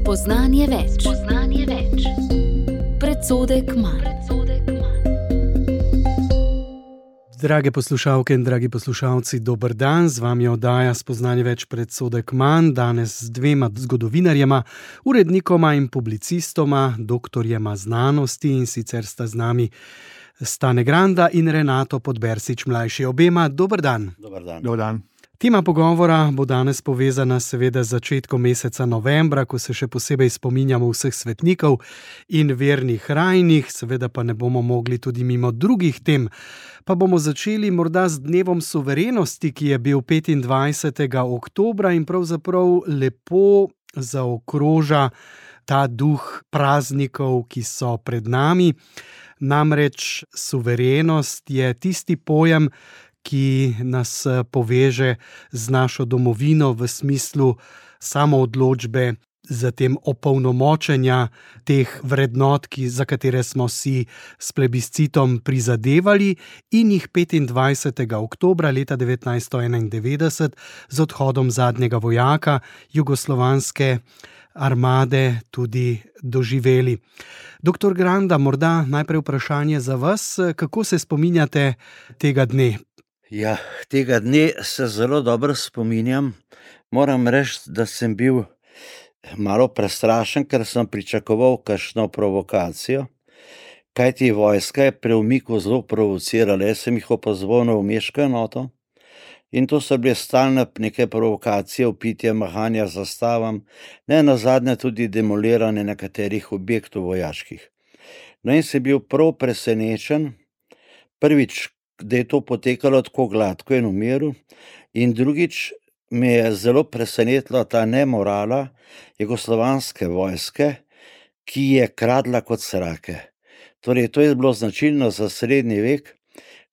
Spoznanje več. Predsodek manj. Drage poslušalke in dragi poslušalci, dober dan, z vami je oddaja Spoznanje več, predsodek manj, danes z dvema zgodovinarjema, urednikoma in publicistoma, doktorjema znanosti, in sicer sta z nami Stane Granda in Renato Podbersič mlajši. Obema dober dan. Dober dan. Dober dan. Tema pogovora bo danes povezana seveda z začetkom meseca novembra, ko se še posebej spominjamo vseh svetnikov in vernih rajnih, seveda pa ne bomo mogli tudi mimo drugih tem. Pa bomo začeli morda z dnevom suverenosti, ki je bil 25. oktobra in pravzaprav lepo zaokroža ta duh praznikov, ki so pred nami. Namreč suverenost je tisti pojem, ki nas poveže z našo domovino v smislu samoodločbe, zatem opolnomočenja teh vrednot, za katere smo si s plebiscitom prizadevali in jih 25. oktobra leta 1991 z odhodom zadnjega vojaka jugoslovanske armade tudi doživeli. Doktor Granda, morda najprej vprašanje za vas, kako se spominjate tega dne? Ja, tega dne se zelo dobro spominjam. Moram reči, da sem bil malo prestrašen, ker sem pričakoval kakšno provokacijo, kajti vojska je pri umiku zelo provocirala. Jaz sem jih opazoval na umeško enoto in to so bile stalne neke provokacije, vpitja, mahanja z zastavam, ne nazadnje tudi demoliranje nekaterih objektov vojaških. No in sem bil prav presenečen, prvič, da je to potekalo tako gladko in v miru, in drugič me je zelo presenetila ta nemorala jugoslovanske vojske, ki je kradla kot srake. Torej, to je bilo značilno za srednji vek,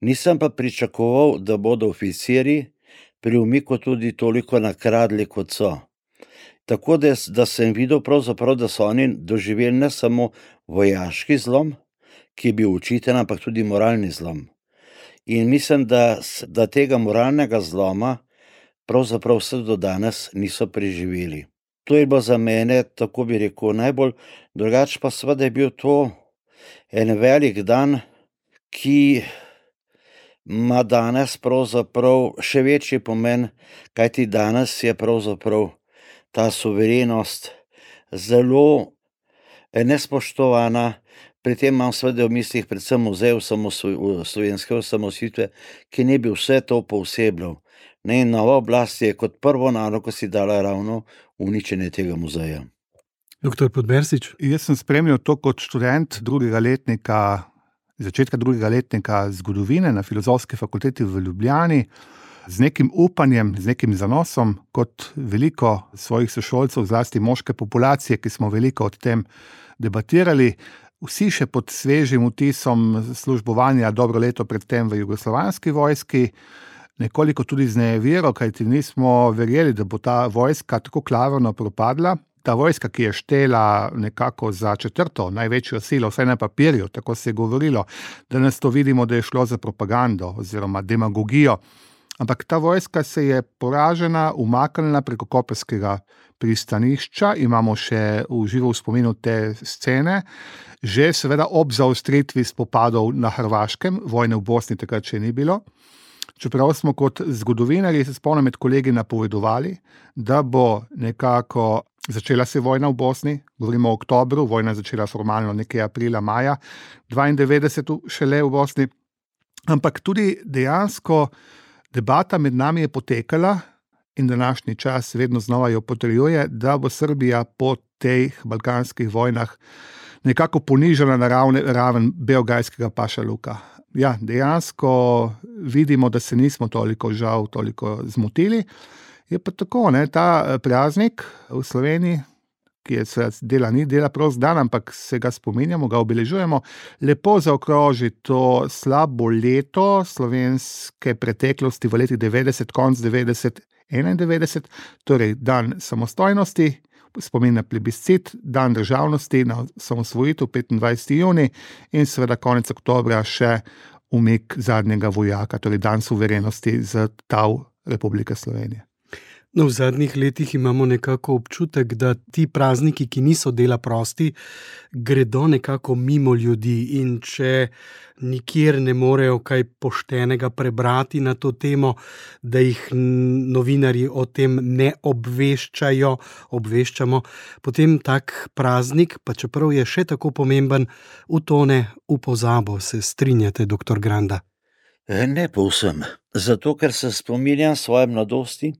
nisem pa pričakoval, da bodo oficirji pri umiku tudi toliko nakradli, kot so. Tako da sem videl pravzaprav, da so oni doživeli ne samo vojaški zlom, ki je bil učiten, ampak tudi moralni zlom. In mislim, da tega moralnega zloma pravzaprav vse do danes niso preživeli. To je bilo za mene, tako bi rekel, najbolj. Drugače pa seveda je bil to en velik dan, ki ima danes pravzaprav še večji pomen, kajti danes je pravzaprav ta suverenost zelo nespoštovana. Pri tem imam seveda v mislih predvsem muzej slovenske osamosvojitve, ki ne bi vse to poosebljal. In nova oblast je kot prvo nalogo si dala ravno uničenje tega muzeja. Doktor Podbersič. Jaz sem spremljal to kot študent začetka drugega letnika zgodovine na Filozofski fakulteti v Ljubljani, z nekim upanjem, z nekim zanosom, kot veliko svojih sošolcev, zlasti moške populacije, ki smo veliko o tem debatirali. Vsi še pod svežim vtisom službovanja dobro leto predtem v jugoslovanski vojski, nekoliko tudi z nevero, kajti nismo verjeli, da bo ta vojska tako klavrno propadla. Ta vojska, ki je štela nekako za četrto največjo silo, vsaj na papirju, tako se je govorilo, danes to vidimo, da je šlo za propagando oziroma demagogijo. Ampak ta vojska se je poražena umaknila preko koprskega pristanišča, imamo še v živo v spominu te scene, že seveda ob zaostritvi spopadov na Hrvaškem, vojne v Bosni takrat še ni bilo. Čeprav smo kot zgodovinarji, se spomnim, med kolegi napovedovali, da bo nekako začela se vojna v Bosni, govorimo o oktobru, vojna začela formalno nekje aprila, maja 92 šele v Bosni, ampak tudi dejansko debata med nami je potekala in današnji čas vedno znova jo potrjuje, da bo Srbija po teh balkanskih vojnah nekako ponižala na raven beograjskega pašaluka. Ja, dejansko vidimo, da se nismo toliko zmotili. Je pa tako, ta praznik v Sloveniji, ki je dela prost dan, ampak se ga spominjamo, ga obeležujemo, lepo zaokroži to slabo leto slovenske preteklosti v letih 90, konc 90, 91, torej dan samostojnosti, spomin na plebiscit, dan državnosti, na osamosvojitev 25. juni in seveda konec oktobra še umik zadnjega vojaka, torej dan suverenosti z tal Republike Slovenije. No, v zadnjih letih imamo nekako občutek, da ti prazniki, ki niso dela prosti, gredo nekako mimo ljudi, in če nikjer ne morejo kaj poštenega prebrati na to temo, da jih novinarji o tem ne obveščamo, potem tak praznik, pa čeprav je še tako pomemben, utone v pozabo. Se strinjate, doktor Granda? Ne povsem. Zato, ker se spominjam svoje mladosti,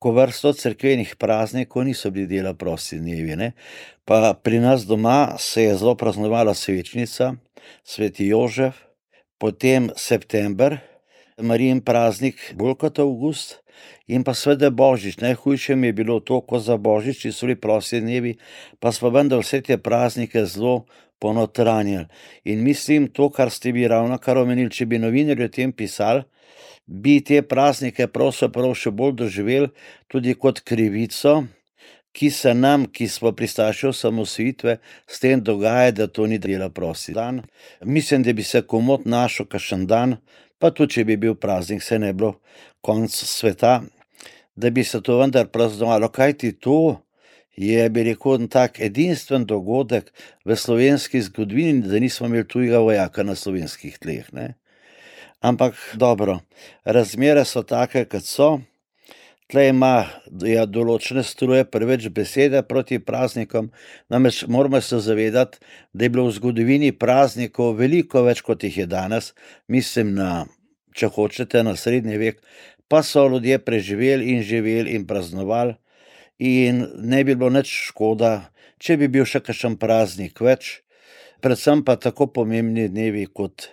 ko vrsto cerkvenih praznikov niso bili dela prosti dnevi, ne. Pa pri nas doma se je zelo praznovala svečnica, sveti Jožef, potem september, Marijin praznik bolj kot avgust, in pa seveda Božič. Najhujše mi je bilo to, ko za Božič so bili prosti dnevi, pa smo vendar vse te praznike zelo ponotranjili. In mislim, to, kar ste vi ravnokar omenili, če bi novinarji o tem pisali, bi te praznike pravzaprav še bolj doživeli tudi kot krivico, ki se nam, ki smo pristaši osamosvojitve, s tem dogaja, da to ni dela prosti dan. Mislim, da bi se komot našel kakšen dan, pa tudi če bi bil praznik, se ne bilo konec sveta, da bi se to vendar praznovalo, kajti to je, bi rekel, tak edinstven dogodek v slovenski zgodovini, da nismo imeli tujega vojaka na slovenskih tleh, ne. Ampak dobro, razmere so take, kot so. Tle ima določene struje preveč besede proti praznikom, namreč moramo se zavedati, da je bilo v zgodovini praznikov veliko več, kot jih je danes. Mislim na, če hočete, na srednji vek, pa so ljudje preživeli in živeli in praznovali, in ne bi bilo nič škoda, če bi bil še kakšen praznik več, predvsem pa tako pomembni dnevi, kot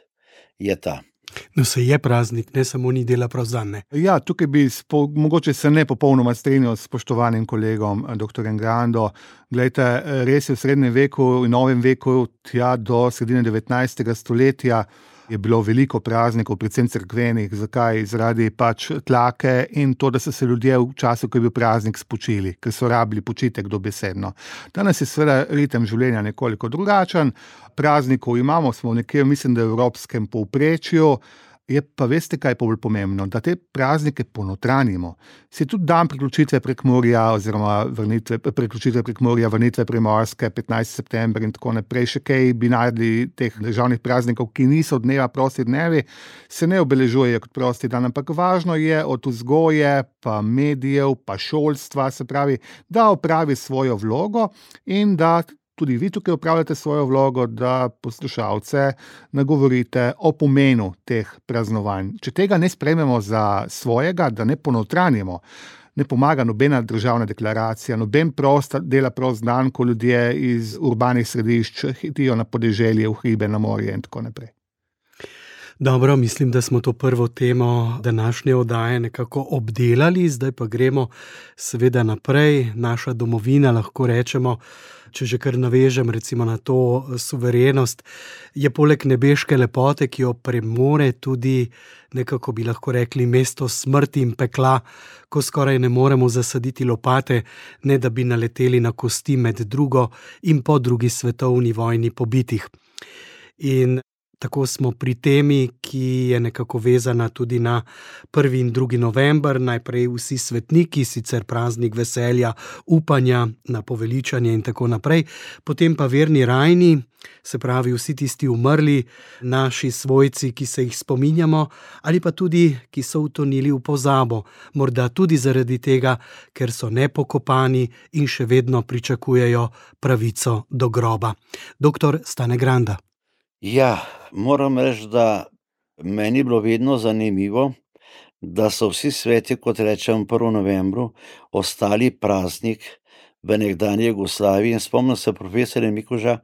je ta. No, se je praznik, ne samo ni dela prost dan, ne. Ja, tukaj bi mogoče se ne popolnoma strinjal s spoštovanim kolegom, doktorjem Grando. Glejte, res je, v srednjem veku in novem veku, tja do sredine 19. stoletja, je bilo veliko praznikov, predvsem cerkvenih. Zakaj? Zaradi pač tlake in to, da so se ljudje v času, ko je bil praznik, spočili, ker so rabili počitek dobesedno. Danes je seveda ritem življenja nekoliko drugačen. Praznikov imamo, smo nekje, mislim, da v evropskem povprečju. Je pa, veste, kaj je bolj pomembno? Da te praznike ponotranjimo. Si tudi dan priključitve Prekmurja oziroma priključitve Prekmurja, vrnitve Primorske, 15. september in tako naprej, še kaj bi naredili teh državnih praznikov, ki niso dneva prosti dnevi, se ne obeležujejo kot prosti dan, ampak važno je od vzgoje, pa medijev, pa šolstva, se pravi, da opravi svojo vlogo in da tudi vi tukaj opravljate svojo vlogo, da poslušalce nagovorite o pomenu teh praznovanj. Če tega ne sprejmemo za svojega, da ne ponotranjimo, ne pomaga nobena državna deklaracija, noben dela prost dan, ko ljudje iz urbanih središč hitijo na podeželje, v hribe, na morje in tako naprej. Dobro, mislim, da smo to prvo temo današnje oddaje nekako obdelali, zdaj pa gremo seveda naprej. Naša domovina, lahko rečemo, če že kar navežem recimo na to suverenost, je poleg nebeške lepote, ki jo premore, tudi nekako bi lahko rekli mesto smrti in pekla, ko skoraj ne moremo zasaditi lopate, ne da bi naleteli na kosti med drugo in po drugi svetovni vojni pobitih. In tako smo pri temi, ki je nekako vezana tudi na 1. in 2. november, najprej vsi svetniki, sicer praznik veselja, upanja na poveličanje in tako naprej, potem pa verni rajni, se pravi vsi tisti umrli, naši svojci, ki se jih spominjamo, ali pa tudi, ki so utonili v pozabo, morda tudi zaradi tega, ker so nepokopani in še vedno pričakujejo pravico do groba. Doktor Stane Granda. Ja, moram reči, da meni je bilo vedno zanimivo, da so vsi sveti, kot rečem, 1. novembru, ostali praznik v nekdanji Jugoslaviji. In spomnim se profesorja Mikuža,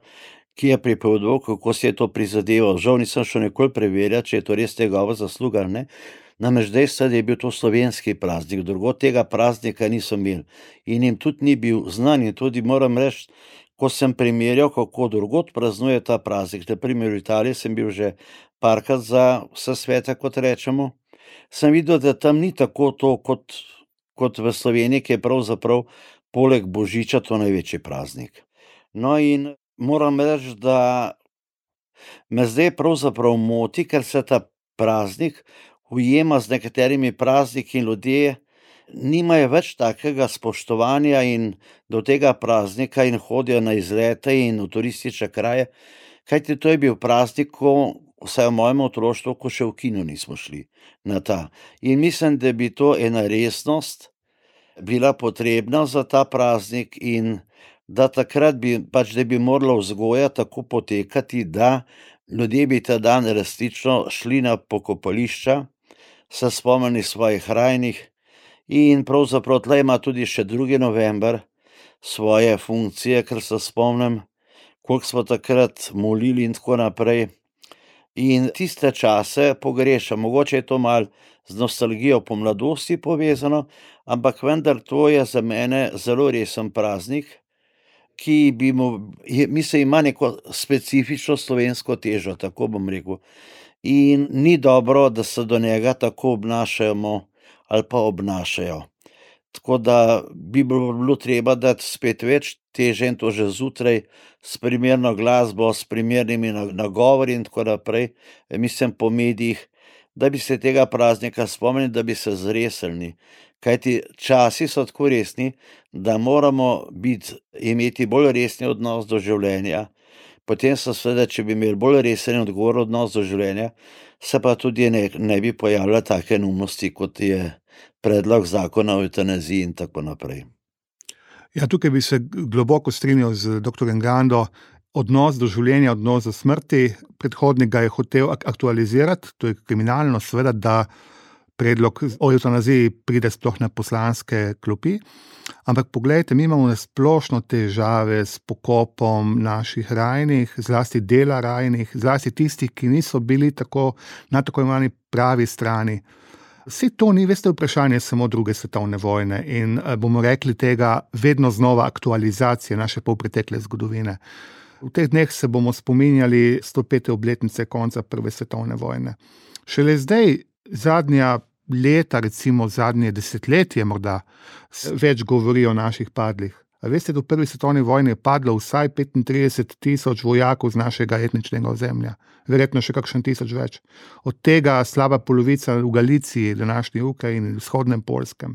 ki je pripovedoval, kako si je to prizadeval. Žal nisem šel nikoli preverjati, če je to res njegova zasluga ali ne. Namreč dejstvo, da je bil to slovenski praznik, drugod tega praznika niso imeli. In jim tudi ni bil znan, in tudi moram reči, ko sem primerjal, kako drugod praznuje ta praznik, na primer v Italiji sem bil že parkrat za vse svete, kot rečemo, sem videl, da tam ni tako to, kot v Sloveniji, ki je pravzaprav poleg Božiča to največji praznik. No in moram reči, da me zdaj pravzaprav moti, ker se ta praznik ujema z nekaterimi prazniki in ljudje nimajo več takega spoštovanja in do tega praznika in hodijo na izlete in v turistične kraje, kajti to je bil praznik, ko, vsaj v mojem otroštvu, ko še v kino nismo šli na ta. In mislim, da bi to ena resnost bila potrebna za ta praznik in da takrat bi da bi morala vzgoja tako potekati, da ljudje bi ta dan resnično šli na pokopališča, se spomnili svojih rajnih in pravzaprav tle ima tudi še 2. november svoje funkcije, ker se spomnim, koliko smo takrat molili in tako naprej. In tiste čase pogrešam, mogoče je to malo z nostalgijo po mladosti povezano, ampak vendar to je za mene zelo resen praznik, ki ima neko specifično slovensko težo, tako bom rekel. In ni dobro, da se do njega tako obnašamo ali pa obnašajo. Tako da bi bilo treba dati spet več teže in to že zjutraj s primerno glasbo, s primernimi nagovori in tako naprej, mislim po medijih, da bi se tega praznika spomnili, da bi se zresnili. Kajti časi so tako resni, da moramo imeti bolj resni odnos do življenja. Potem se seveda, če bi imeli bolj resen odgovor odnos do življenja, se pa tudi ne bi pojavljale take neumnosti, kot je predlog zakona o evtanaziji in tako naprej. Ja, tukaj bi se globoko strinjal z dr. Gando. Odnos do življenja, odnos do smrti, predhodnika je hotel aktualizirati, to je kriminalno, seveda, da predlog o evtanaziji pride sploh na poslanske klopi. Ampak poglejte, mi imamo splošno težave s pokopom naših rajnih, zlasti dela rajnih, zlasti tistih, ki niso bili na tako imenovani pravi strani. Vse to ni, veste, vprašanje samo 2. svetovne vojne in bomo rekli tega vedno znova aktualizacije naše polpretekle zgodovine. V teh dneh se bomo spominjali 105. obletnice konca 1. svetovne vojne. Šele zdaj, zadnja leta, recimo zadnje desetletje morda, več govori o naših padlih. A veste, da v 1. svetovni vojni je padlo vsaj 35,000 vojakov z našega etničnega ozemlja. Verjetno še kakšen 1000 več. Od tega slaba polovica v Galiciji, današnji Ukrajini, vzhodnem Poljskem.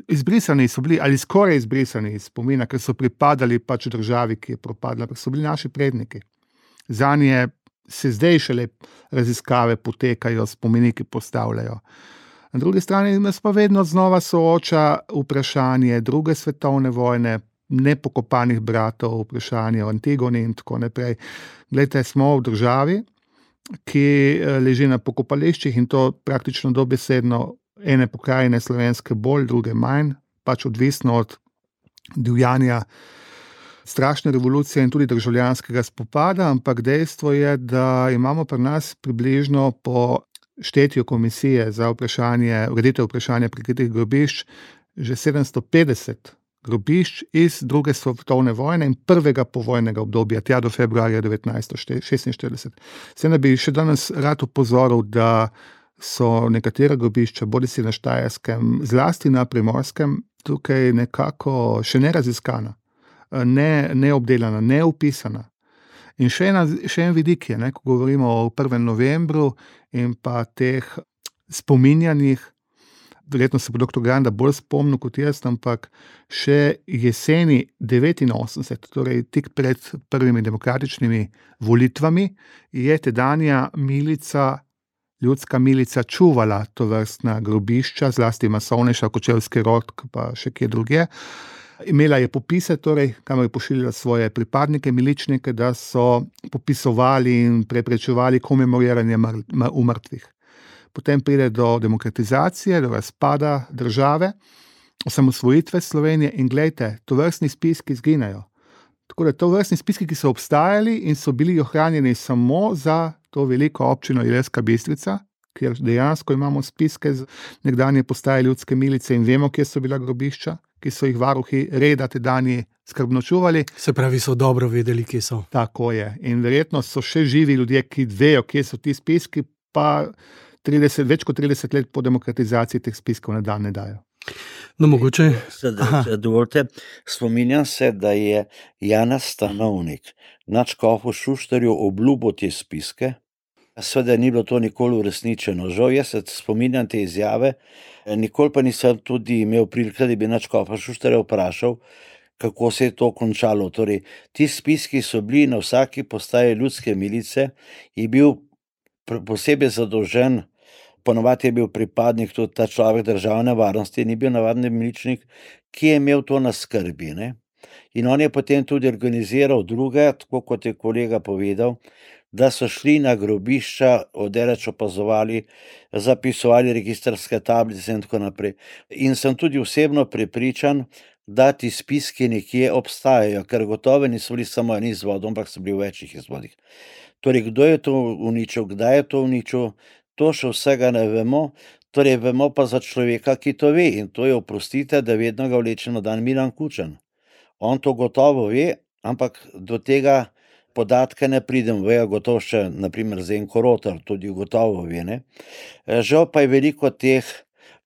Izbrisani so bili, ali skoraj izbrisani iz spomina, ker so pripadali državi, ki je propadla, ker so bili naši predniki. Zanje se zdaj šele raziskave potekajo, spomeniki postavljajo. Na drugi strani nas pa vedno znova sooča vprašanje 2. svetovne vojne, nepokopanih bratov, vprašanje o Antigoni in tako naprej. Glejte, smo v državi, ki leži na pokopališčih in to praktično dobesedno ene pokrajine slovenske bolj, druge manj, odvisno od divjanja strašne revolucije in tudi državljanskega spopada, ampak dejstvo je, da imamo pri nas približno po štetju komisije za ureditev vprašanja prikritih grobišč že 750 grobišč iz 2. svetovne vojne in prvega povojnega obdobja, tja do februarja 1946. Vse ne bi še danes rad opozoril, da so nekatera grobišča, bodisi na Štajerskem, zlasti na Primorskem, tukaj nekako še ne raziskana, ne obdelana, ne upisana. In še en vidik je, ko govorimo o 1. novembru in pa teh spominjanjih, verjetno se bo dr. Ganda bolj spomnil kot jaz, ampak še jeseni 89, torej tik pred prvimi demokratičnimi volitvami, je tedanja ljudska milica čuvala tovrstna grobišča, zlasti masovnejša, Kočevski Rog, pa še kje drugje. Imela je popise, kamor je pošiljala svoje pripadnike, miličnike, da so popisovali in preprečevali komemoriranje umrtvih. Potem pride do demokratizacije, do razpada države, osamosvojitve Slovenije in glejte, tovrstni spiski izginejo. Tako da tovrstni spiski, ki so obstajali in so bili ohranjeni samo za to veliko občino Ilirska Bistrica, kjer dejansko imamo spiske z nekdanje postaje ljudske milice in vemo, kje so bila grobišča, ki so jih varuhi reda tedajni skrbno čuvali. Se pravi, so dobro vedeli, kje so. Tako je. In verjetno so še živi ljudje, ki vejo, kje so ti spiski, pa več kot 30 let po demokratizaciji teh spiskov na dan ne dajo. No, mogoče. Dovolite, spominjam se, da je Janez Stanovnik nadškofu Šuštarju obljubil te spiske Seveda ni bilo to nikoli uresničeno. Žal, jaz se spominjam te izjave, nikoli pa nisem tudi imel prilike, da bi nadškofa Šuštarja vprašal, kako se je to končalo. Torej, ti spiski so bili na vsaki postaji ljudske milice, je bil posebej zadolžen, ponovadi je bil pripadnik tudi ta človek državne varnosti, ni bil navadni miličnik, ki je imel to na skrbi, ne. In on je potem tudi organiziral druge, tako kot je kolega povedal, da so šli na grobišča, odeleč opazovali, zapisovali registrske tablice in tako naprej. In sem tudi osebno prepričan, da ti spiski nekje obstajajo, ker gotovo niso bili samo eni izvodom, ampak so bili v večjih izvodih. Torej, kdo je to uničil, kdaj je to uničil, to še vsega ne vemo, torej vemo pa za človeka, ki to ve, in to je, oprostite, da vedno ga vleče na dan Milan Kučan. On to gotovo ve, ampak do tega podatka ne pridem, vejo gotovo še, naprimer Zenko Rotar, tudi gotovo ve, ne. Žal pa je veliko teh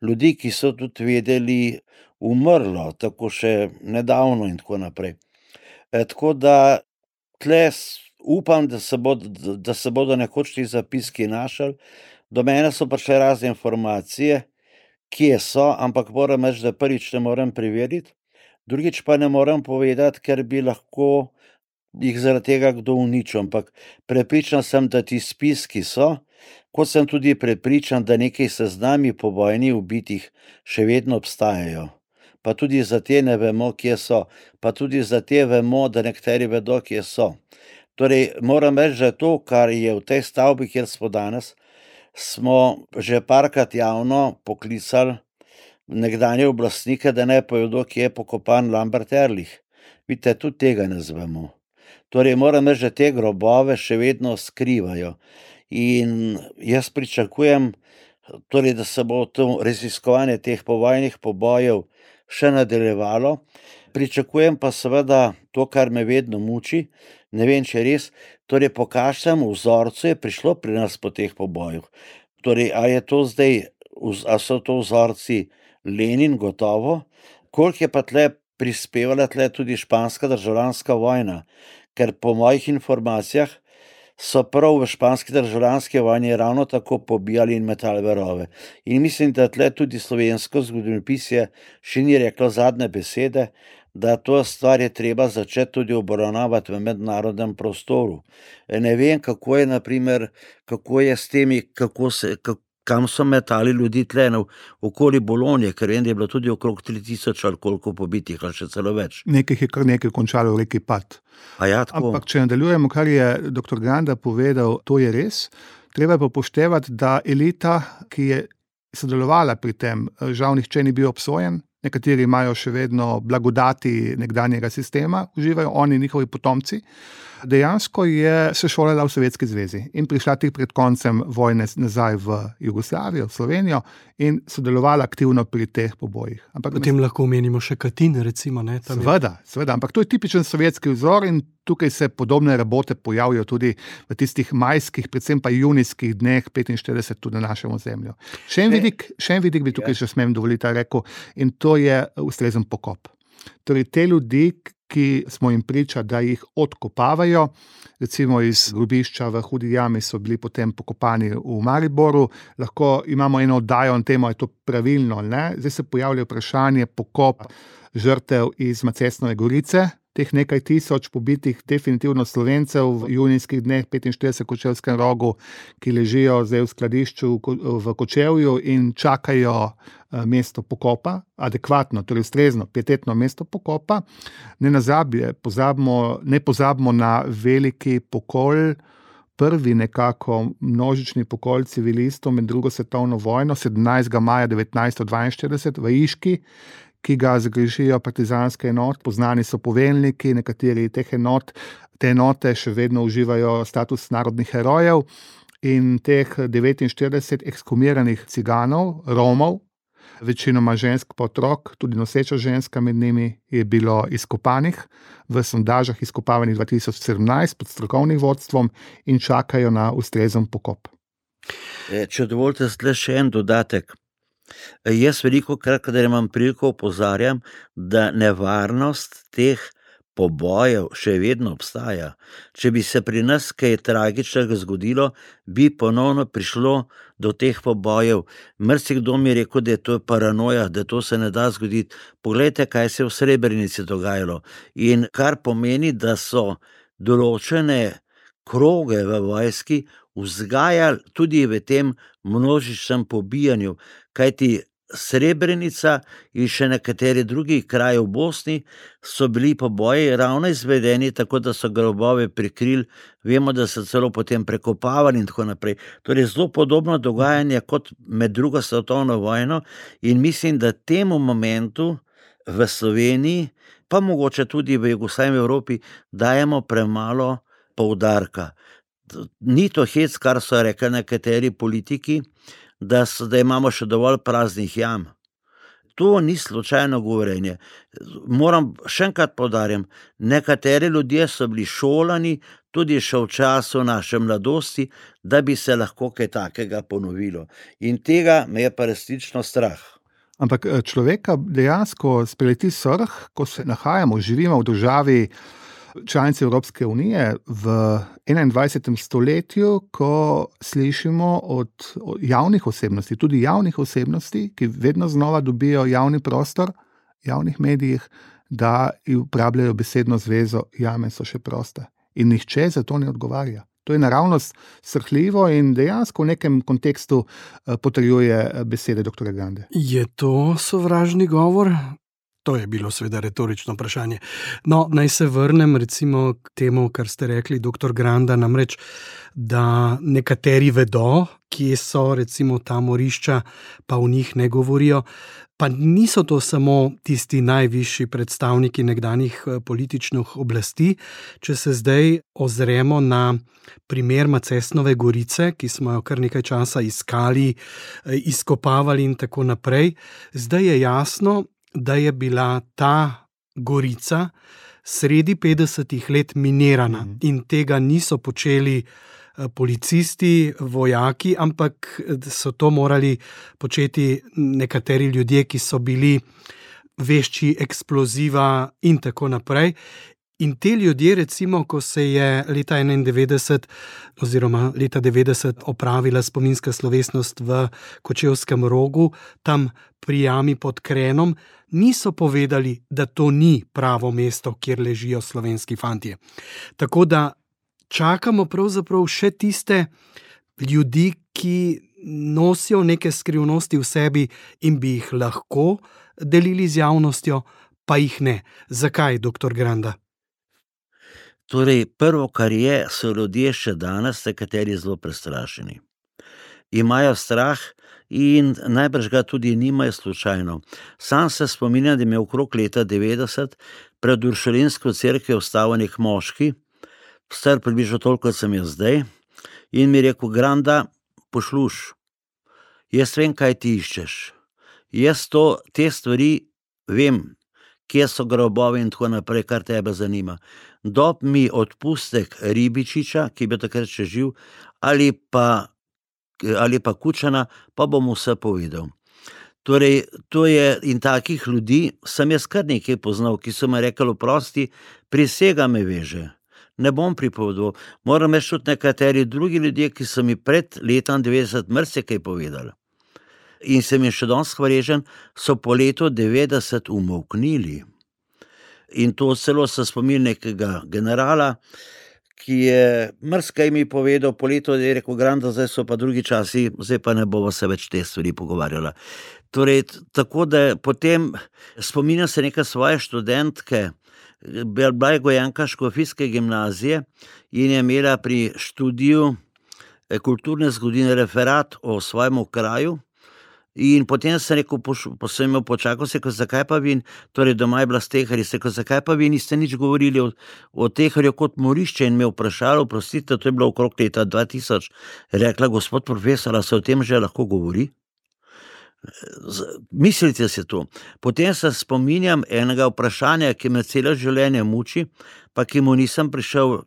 ljudi, ki so tudi vedeli, umrlo, tako še nedavno in tako naprej. Tako da tle upam, da se bodo nekoč ti zapiski našli. Do mene so prišle razne informacije, kje so, ampak moram reči, da prvič ne morem preveriti, drugič pa ne morem povedati, ker bi lahko jih zaradi tega kdo uničil, ampak prepričan sem, da ti spiski so, kot sem tudi prepričan, da nekaj seznami povojnih ubitih še vedno obstajajo. Pa tudi za te ne vemo, kje so, pa tudi za te vemo, da nekateri vedo, kje so. Torej, moram reči, da to, kar je v tej stavbi, kjer smo danes, smo že parkrat javno poklicali nekdanje oblastnike, da ne povedo, kje je pokopan Lambert Ehrlich. Vidite, tudi tega ne zvemo. Torej, moram reči, da te grobove še vedno skrivajo. In jaz pričakujem, torej, da se bo to raziskovanje teh povojnih pobojev še nadaljevalo. Pričakujem pa seveda to, kar me vedno muči, ne vem, če res, torej po kakšnem vzorcu je prišlo pri nas po teh pobojih. Torej, a so to vzorci Lenin, gotovo, koliko je pa tle prispevala tudi španska državljanska vojna, ker po mojih informacijah so prav v španski državljanski vojni ravno tako pobijali in metali verove. In mislim, da tle tudi slovensko zgodovinopisje še ni reklo zadnje besede, da to stvar je treba začeti tudi obravnavati v mednarodnem prostoru. Ne vem, kako je, naprimer, kako je s temi, kam so metali ljudi tle okoli Bolonje, ker vem, da je bilo tudi okrog 3000 ali koliko pobitih, ali še celo več. Nekaj je kar nekaj končalo v reki Pat. Ja, tako. Ampak če nadaljujemo, kar je dr. Granda povedal, to je res. Treba pa upoštevati, da elita, ki je sodelovala pri tem, žal nihče ni bil obsojen. Nekateri imajo še vedno blagodati nekdanjega sistema, uživajo oni, njihovi potomci. Dejansko je se šolala v Sovjetski zvezi in prišla tik pred koncem vojne nazaj v Jugoslavijo, v Slovenijo in sodelovala aktivno pri teh pobojih. Potem lahko omenimo še Katin, recimo. Ne, seveda, ampak to je tipičen sovjetski vzor in tukaj se podobne rabote pojavijo tudi v tistih majskih, predvsem pa junijskih dneh 45 tudi na našem ozemlju. Še en vidik bi tukaj še smem dovoliti rekel, in to je ustrezen pokop. Torej, te ljudi, ki smo jim priča, da jih odkopavajo, recimo iz grobišča v Hudi jami so bili potem pokopani v Mariboru, lahko imamo eno oddajo na temo, je to pravilno, ne? Zdaj se pojavlja vprašanje pokop žrtev iz Macesnove Gorice, teh nekaj tisoč pobitih definitivno Slovencev v junijskih dneh 45 v Kočevskem rogu, ki ležijo zdaj v skladišču v Kočevju in čakajo mesto pokopa, adekvatno, torej ustrezno, pietetno mesto pokopa. Ne pozabimo na veliki pokol, prvi nekako množični pokol civilistov med drugo svetovno vojno, 17. maja 1942 v Iški, ki ga zagrešijo partizanske enote, poznani so poveljniki, nekateri teh enot, te enote še vedno uživajo status narodnih herojev in teh 49 ekshumiranih ciganov, Romov, večinoma žensk pa otrok, tudi noseča ženska med njimi, je bilo izkopanih v sondažah izkopavanih 2017 pod strokovnim vodstvom in čakajo na ustrezen pokop. Če dovolite še en dodatek. Jaz veliko krat, kadar imam priliko, opozarjam, da nevarnost teh pobojev še vedno obstaja. Če bi se pri nas kaj tragičnega zgodilo, bi ponovno prišlo do teh pobojev. Marsikdo mi je rekel, da je to paranoja, da to se ne da zgoditi. Poglejte, kaj se je v Srebrenici dogajalo. In kar pomeni, da so določene kroge v vojski vzgajali tudi v tem množičnem pobijanju, kajti Srebrenica in še nekateri drugi kraji v Bosni so bili poboji ravno izvedeni, tako da so grobove prikrili, vemo, da so celo potem prekopavali in tako naprej. Torej zelo podobno dogajanje kot med drugo svetovno vojno in mislim, da temu momentu v Sloveniji, pa mogoče tudi v Jugoslaviji, v Evropi, dajemo premalo poudarka. Ni to hec, kar so rekli nekateri politiki, da imamo še dovolj praznih jam. To ni slučajno govorjenje. Moram še enkrat poudarjam, nekateri ljudje so bili šolani tudi še v času naše mladosti, da bi se lahko kaj takega ponovilo. In tega me je pa resnično strah. Ampak človeka dejansko spreleti srh, ko se nahajamo, živimo v državi članice Evropske unije v 21. stoletju, ko slišimo od javnih osebnosti, tudi javnih osebnosti, ki vedno znova dobijo javni prostor v javnih medijih, da uporabljajo besedno zvezo jame so še proste. In nihče za to ne odgovarja. To je naravnost srhljivo in dejansko v nekem kontekstu potrjuje besede dr. Grande. Je to sovražni govor? To je bilo seveda retorično vprašanje. No, naj se vrnem recimo k temu, kar ste rekli, dr. Granda, namreč, da nekateri vedo, kje so recimo ta morišča, pa v njih ne govorijo. Pa niso to samo tisti najvišji predstavniki nekdanjih političnih oblasti. Če se zdaj ozremo na primer Macesnove Gorice, ki smo jo kar nekaj časa iskali, izkopavali in tako naprej, zdaj je jasno, da je bila ta gorica sredi 50. let minirana in tega niso počeli policisti, vojaki, ampak so to morali početi nekateri ljudje, ki so bili vešči eksploziva in tako naprej. In te ljudje, recimo, ko se je leta 91 oziroma leta 90 opravila spominska slovesnost v Kočevskem Rogu, tam pri jami pod Krenom, niso povedali, da to ni pravo mesto, kjer ležijo slovenski fantje. Tako da čakamo pravzaprav še tiste ljudi, ki nosijo neke skrivnosti v sebi in bi jih lahko delili z javnostjo, pa jih ne. Zakaj, dr. Granda? Torej, prvo, kar je, so ljudje še danes, nekateri zelo prestrašeni. Imajo strah in najbrž ga tudi nimajo slučajno. Sam se spominjam, da mi je okrog leta 90 pred Uršulinsko cerkev vstal nek moški, star približno toliko, kot sem jaz zdaj, in mi je rekel: Granda, posluš, jaz vem, kaj ti iščeš. Jaz te stvari vem, kje so grobovi in tako naprej, kar tebe zanima. Dob mi odpustek Ribičiča, ki bi takrat še živ, ali pa Kučana, pa bom vse povedal. Torej, to je, in takih ljudi sem jaz kar nekaj poznal, ki so mi rekli: oprosti, prisega me veže. Ne bom pripovedoval. Moram reči tudi nekateri drugi ljudje, ki so mi pred letom 90 marsikaj povedali. In sem jim še danes hvaležen, so po letu 90 umolknili. In to celo se spomin nekega generala, ki je marsikaj mi povedal, po letu je rekel: Granda, zdaj so pa drugi časi, zdaj pa ne bova se več te stvari pogovarjala. Torej, tako da potem spominjam se neke svoje študentke, bila je gojenka škofijske gimnazije in je imela pri študiju kulturne zgodovine referat o svojem kraju. In potem sem rekel, sem imel počakal, se rekel: zakaj pa vi, torej doma je bila Steharji, se rekel: zakaj pa vi niste nič govorili o Teharju kot morišče? In me vprašali, oprostite, to je bilo okrog leta 2000, rekla: gospod profesor, a se o tem že lahko govori? Mislite si to. Potem se spominjam enega vprašanja, ki me celo življenje muči, pa ki mu nisem prišel.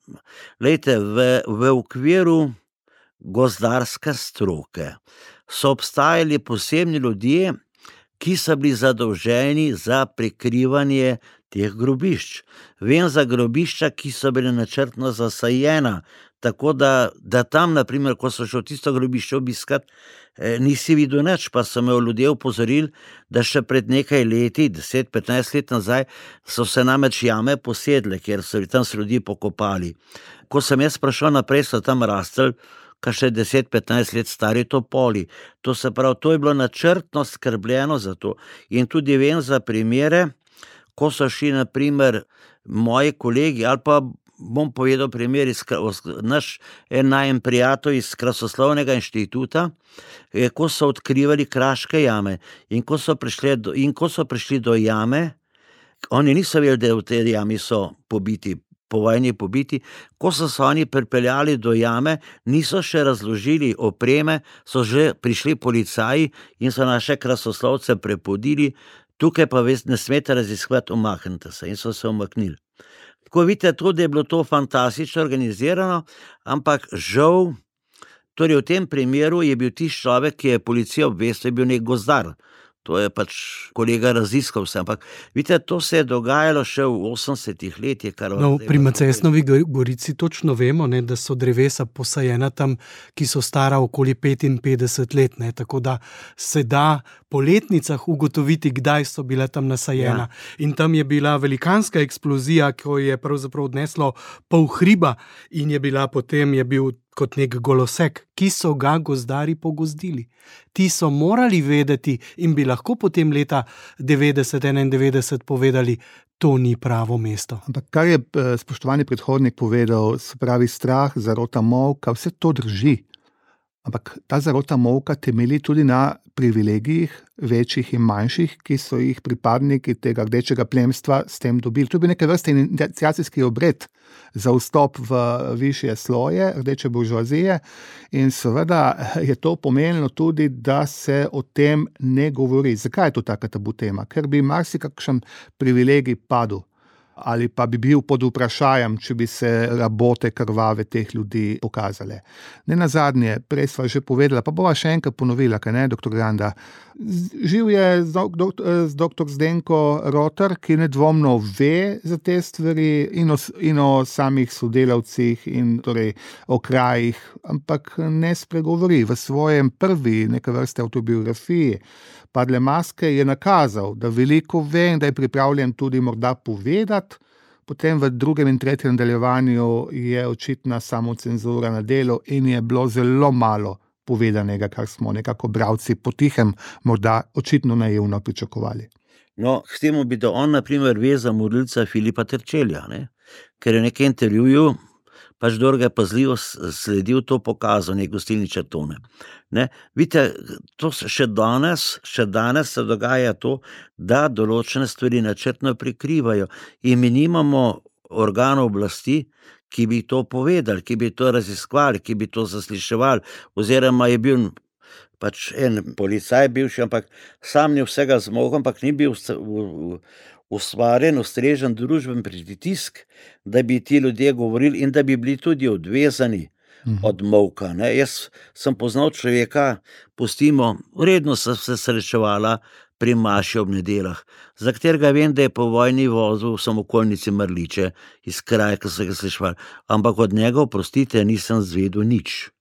Glejte, v okviru gozdarske stroke so obstajali posebni ljudje, ki so bili zadolženi za prikrivanje teh grobišč. Vem za grobišča, ki so bile načrtno zasajena, tako da tam, naprimer, ko so šel tisto grobišče obiskat, nisi videl nič, pa so me ljudje opozorili, da še pred nekaj leti, 10-15 let nazaj, so se namreč jame posedle, ker so tam ljudi pokopali. Ko sem jaz prišel naprej, so tam rastli še 10-15 let stari topoli. To se pravi, to je bilo načrtno skrbljeno za to. In tudi vem za primere, ko so šli, naprimer, moji kolegi, ali pa bom povedal primer, naš en prijatelj iz Krasoslovnega inštituta, ko so odkrivali kraške jame in ko so prišli do jame, oni niso vedeli, da v tej jami so pobiti, po vojni pobiti, ko so se oni pripeljali do jame, niso še razložili opreme, so že prišli policaji in so naše krasoslovce prepodili, tukaj pa ne smete raziskovati, umaknite se, in so se umaknili. Tako vidite, tudi je bilo to fantastično organizirano, ampak žal, torej v tem primeru je bil tisti človek, ki je policijo obvestil, je bil nek gozdar. To je pač kolega raziskal vse, ampak vidite, to se je dogajalo še v 80-ih letih. Pri Macesnovi Gorici točno vemo, ne, da so drevesa posajena tam, ki so stara okoli 55 let, ne, tako da se da po letnicah ugotoviti, kdaj so bila tam nasajena. Ja. In tam je bila velikanska eksplozija, ko je pravzaprav odneslo pol hriba in je bil kot nek golosek, ki so ga gozdarji pogozdili. Ti so morali vedeti in bi lahko potem leta 90-91 povedali, to ni pravo mesto. Ampak kar je spoštovani predhodnik povedal, se pravi strah, zarota molka, vse to drži. Ampak ta zarota molka temelji tudi na privilegijih, večjih in manjših, ki so jih pripadniki tega rdečega plemstva s tem dobili. To je bil neke vrste iniciacijski obred za vstop v višje sloje rdeče buržoazije in seveda je to pomenilo tudi, da se o tem ne govori. Zakaj je to taka tabu tema? Ker bi marsikakšen privilegij padel. Ali pa bi bil pod vprašajem, če bi se rabote krvave teh ljudi pokazale. Nenazadnje, prej sva že povedala, pa bova še enkrat ponovila, kaj ne, doktor Granda. Živ je z doktor Zdenko Rotar, ki nedvomno ve za te stvari in o samih sodelavcih in torej o krajih, ampak ne spregovori. V svojem prvi neke vrste avtobiografiji Padle maske je nakazal, da veliko ve in da je pripravljen tudi morda povedati, potem v drugem in tretjem nadaljevanju je očitna samocenzura na delu in je bilo zelo malo povedanega, kar smo nekako bralci potihem morda očitno naivno pričakovali. No, k temu bi da on, na primer, ve za morilca Filipa Terčelja, ne? Ker je nekaj intervjuju, pač Dorga je pazljivo sledil, to pokazal, nek gostilni Črtone. Ne? Vidite, to še danes se dogaja to, da določene stvari načrtno prikrivajo in mi nimamo organov oblasti, ki bi to povedali, ki bi to raziskovali, ki bi to zasliševali, oziroma je bil pač en policaj bivši, ampak sam ni vsega zmogel, ampak ni bil ustvarjen, ustrežen družben pritisk, da bi ti ljudje govorili in da bi bili tudi odvezani od molka. Ne? Jaz sem poznal človeka, pustimo, redno sem se srečevala pri maši ob nedeljah, za katerega vem, da je po vojni vozil v samokolnici Mrliče iz kraja, ki so ga slišali, ampak od njega, oprostite, nisem zvedel nič.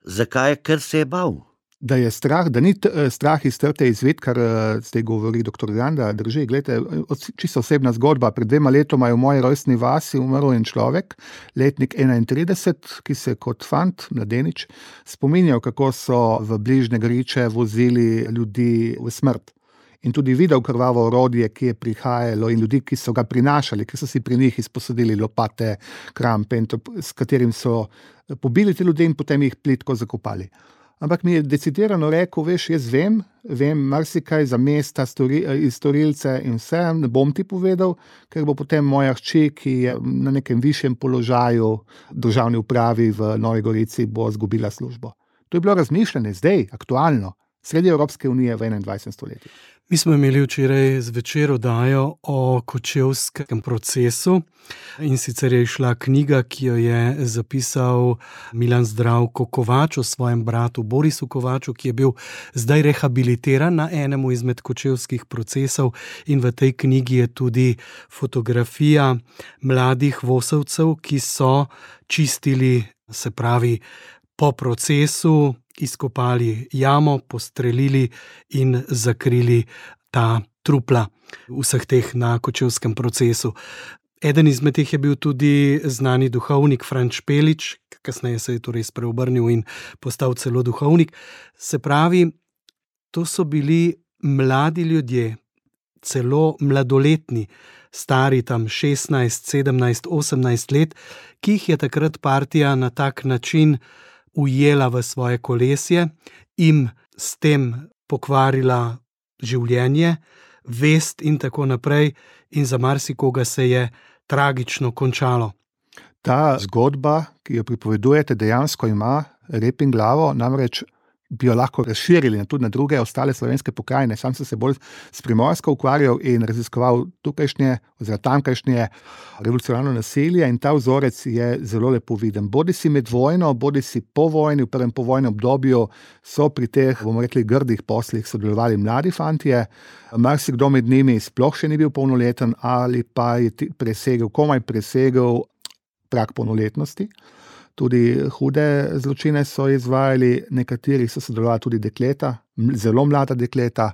Zakaj? Ker se je bal. Da je strah, da ni strah iz trte izved, kar zdaj govori doktor Granda, drži. Glejte, čisto osebna zgodba. Pred 2 letoma je v moji rojstni vasi umrl en človek, letnik 31, ki se kot fant, mladenič, spominjal, kako so v bližnje Griče vozili ljudi v smrt. In tudi videl krvavo orodje, ki je prihajalo in ljudi, ki so ga prinašali, ki so si pri njih izposodili lopate, krampe, s katerim so pobili te ljudi in potem jih plitko zakopali. Ampak mi je decidirano rekel, veš, jaz vem marsikaj za mesta, storilce in vse, ne bom ti povedal, ker bo potem moja hči, ki je na nekem višjem položaju državni upravi v Novi Gorici, bo izgubila službo. To je bilo razmišljanje zdaj, aktualno, sredi Evropske unije v 21. stoletju. Mi smo imeli včeraj zvečer oddajo o kočevskem procesu, in sicer je izšla knjiga, ki jo je zapisal Milan Zdravko Kovač o svojem bratu Borisu Kovaču, ki je bil zdaj rehabilitiran na enemu izmed kočevskih procesov, in v tej knjigi je tudi fotografija mladih vosovcev, ki so čistili, se pravi, po procesu, izkopali jamo, postrelili in zakrili ta trupla vseh teh na kočevskem procesu. Eden izmed teh je bil tudi znani duhovnik Franč Pelič, kasneje se je torej spreobrnil in postal celo duhovnik. Se pravi, to so bili mladi ljudje, celo mladoletni, stari tam 16, 17, 18 let, ki jih je takrat partija na tak način ujela v svoje kolesje, jim s tem pokvarila življenje, vest in tako naprej, in za marsikoga se je tragično končalo. Ta zgodba, ki jo pripovedujete, dejansko ima rep in glavo, namreč bi jo lahko razširili tudi na druge ostale slovenske pokrajine. Sam sem se bolj s Primorsko ukvarjal in raziskoval tukajšnje oziroma tamkajšnje revolucionarno naselje, in ta vzorec je zelo lepo viden. Bodisi med vojno, bodisi po vojni, v prvem povojnem obdobju so pri teh, bomo rekli, grdih poslih sodelovali mladi fantje. Marsikdo med njimi sploh še ni bil polnoleten ali pa je komaj presegel prag polnoletnosti. Tudi hude zločine so izvajali, nekateri so sodelovali tudi dekleta, zelo mlada dekleta,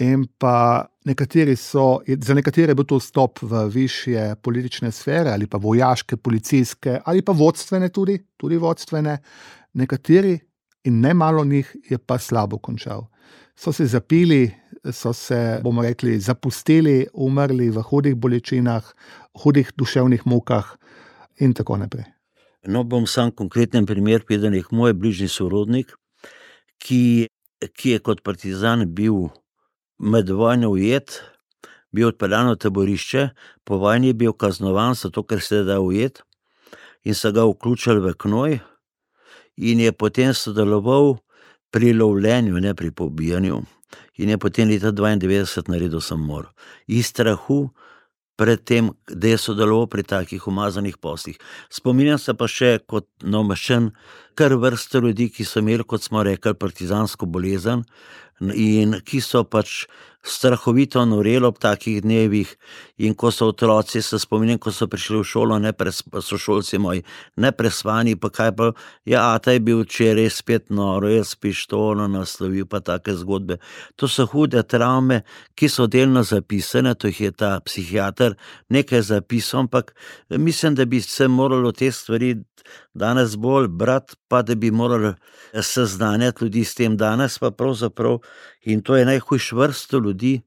in pa za nekatere je bil to vstop v višje politične sfere ali pa vojaške, policijske ali pa vodstvene tudi vodstvene. Nekateri in ne malo njih je pa slabo končal. So se zapili, so se, bomo rekli, zapustili, umrli v hudih bolečinah, hudih duševnih mukah in tako naprej. No, bom sam konkreten primer povedal, moj bližnji sorodnik, ki je kot partizan bil med vojno ujet, bil odpeljan v taborišče, po vojni je bil kaznovan, zato ker se je dal ujet, in so ga vključili v knoj in je potem sodeloval pri lovljenju, ne pri pobijanju, in je potem leta 92 naredil samomor. Iz strahu pred tem, da je sodeloval pri takih umazanih poslih. Spominjam se pa še kot navmeščen kar vrsto ljudi, ki so imeli, kot smo rekli, partizansko bolezen in ki so pač strahovito noreli ob takih dnevih, in ko so otroci, se spominjam, ko so prišli v šolo, sošolci moji, neprespani, pa kaj pa, ata je bil včeraj spet noro, je s pištolo naslovil, pa take zgodbe. To so hude travme, ki so delno zapisane, to jih je ta psihiater nekaj zapisal, ampak mislim, da bi se moralo te stvari danes bolj brati, pa da bi morali seznanjati ljudi s tem. Danes pa pravzaprav, in to je najhujš vrsto ljudi,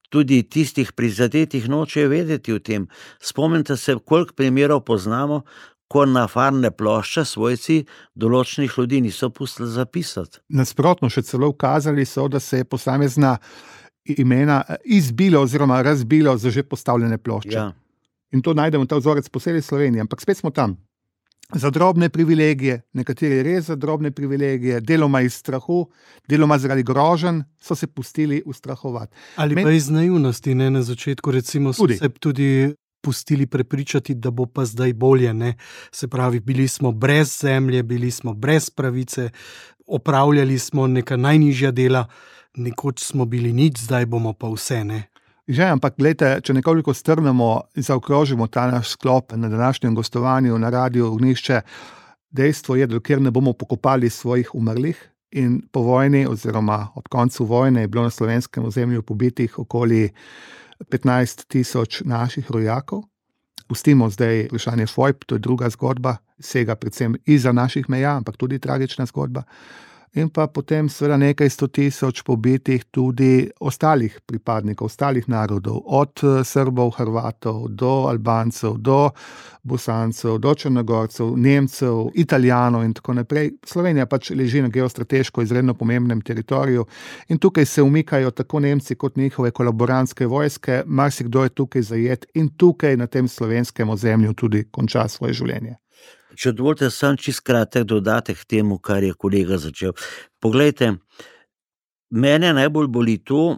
tudi tistih prizadetih nočejo vedeti o tem. Spomnite se, koliko primerov poznamo, ko na farne plošče svojci določenih ljudi niso pustili zapisati. Nasprotno, še celo ukazali so, da se je posamezna imena izbilo oziroma razbilo za že postavljene plošče. Ja. In to najdemo ta vzorec po celi Sloveniji, ampak spet smo tam. Za drobne privilegije, nekateri res za drobne privilegije, deloma iz strahu, deloma zaradi groženj, so se pustili ustrahovati. Ali pa iz naivnosti, ne, na začetku recimo so se tudi pustili prepričati, da bo pa zdaj bolje, ne. Se pravi, bili smo brez zemlje, bili smo brez pravice, opravljali smo neka najnižja dela, nekoč smo bili nič, zdaj bomo pa vse, ne. Že, ampak gledajte, če nekoliko strnemo in zaokrožimo ta naš sklop na današnjem gostovanju na Radiu Ognjišče, dejstvo je, da dokler ne bomo pokopali svojih umrlih, in po vojni oziroma ob koncu vojne je bilo na slovenskem ozemlju pobitih okoli 15.000 naših rojakov. Pustimo zdaj vprašanje fojb, to je druga zgodba, sega predvsem izza naših meja, ampak tudi tragična zgodba. In pa potem seveda nekaj 100.000 pobitih tudi ostalih pripadnikov, ostalih narodov, od Srbov, Hrvatov, do Albancev, do Bosancev, do Črnogorcev, Nemcev, Italijanov in tako naprej. Slovenija pač leži na geostrateško izredno pomembnem teritoriju in tukaj se umikajo tako Nemci kot njihove kolaborantske vojske, marsikdo je tukaj zajet in tukaj na tem slovenskem ozemlju tudi konča svoje življenje. Če dovolite, sam čisto kratek dodatek k temu, kar je kolega začel. Poglejte, mene najbolj boli to,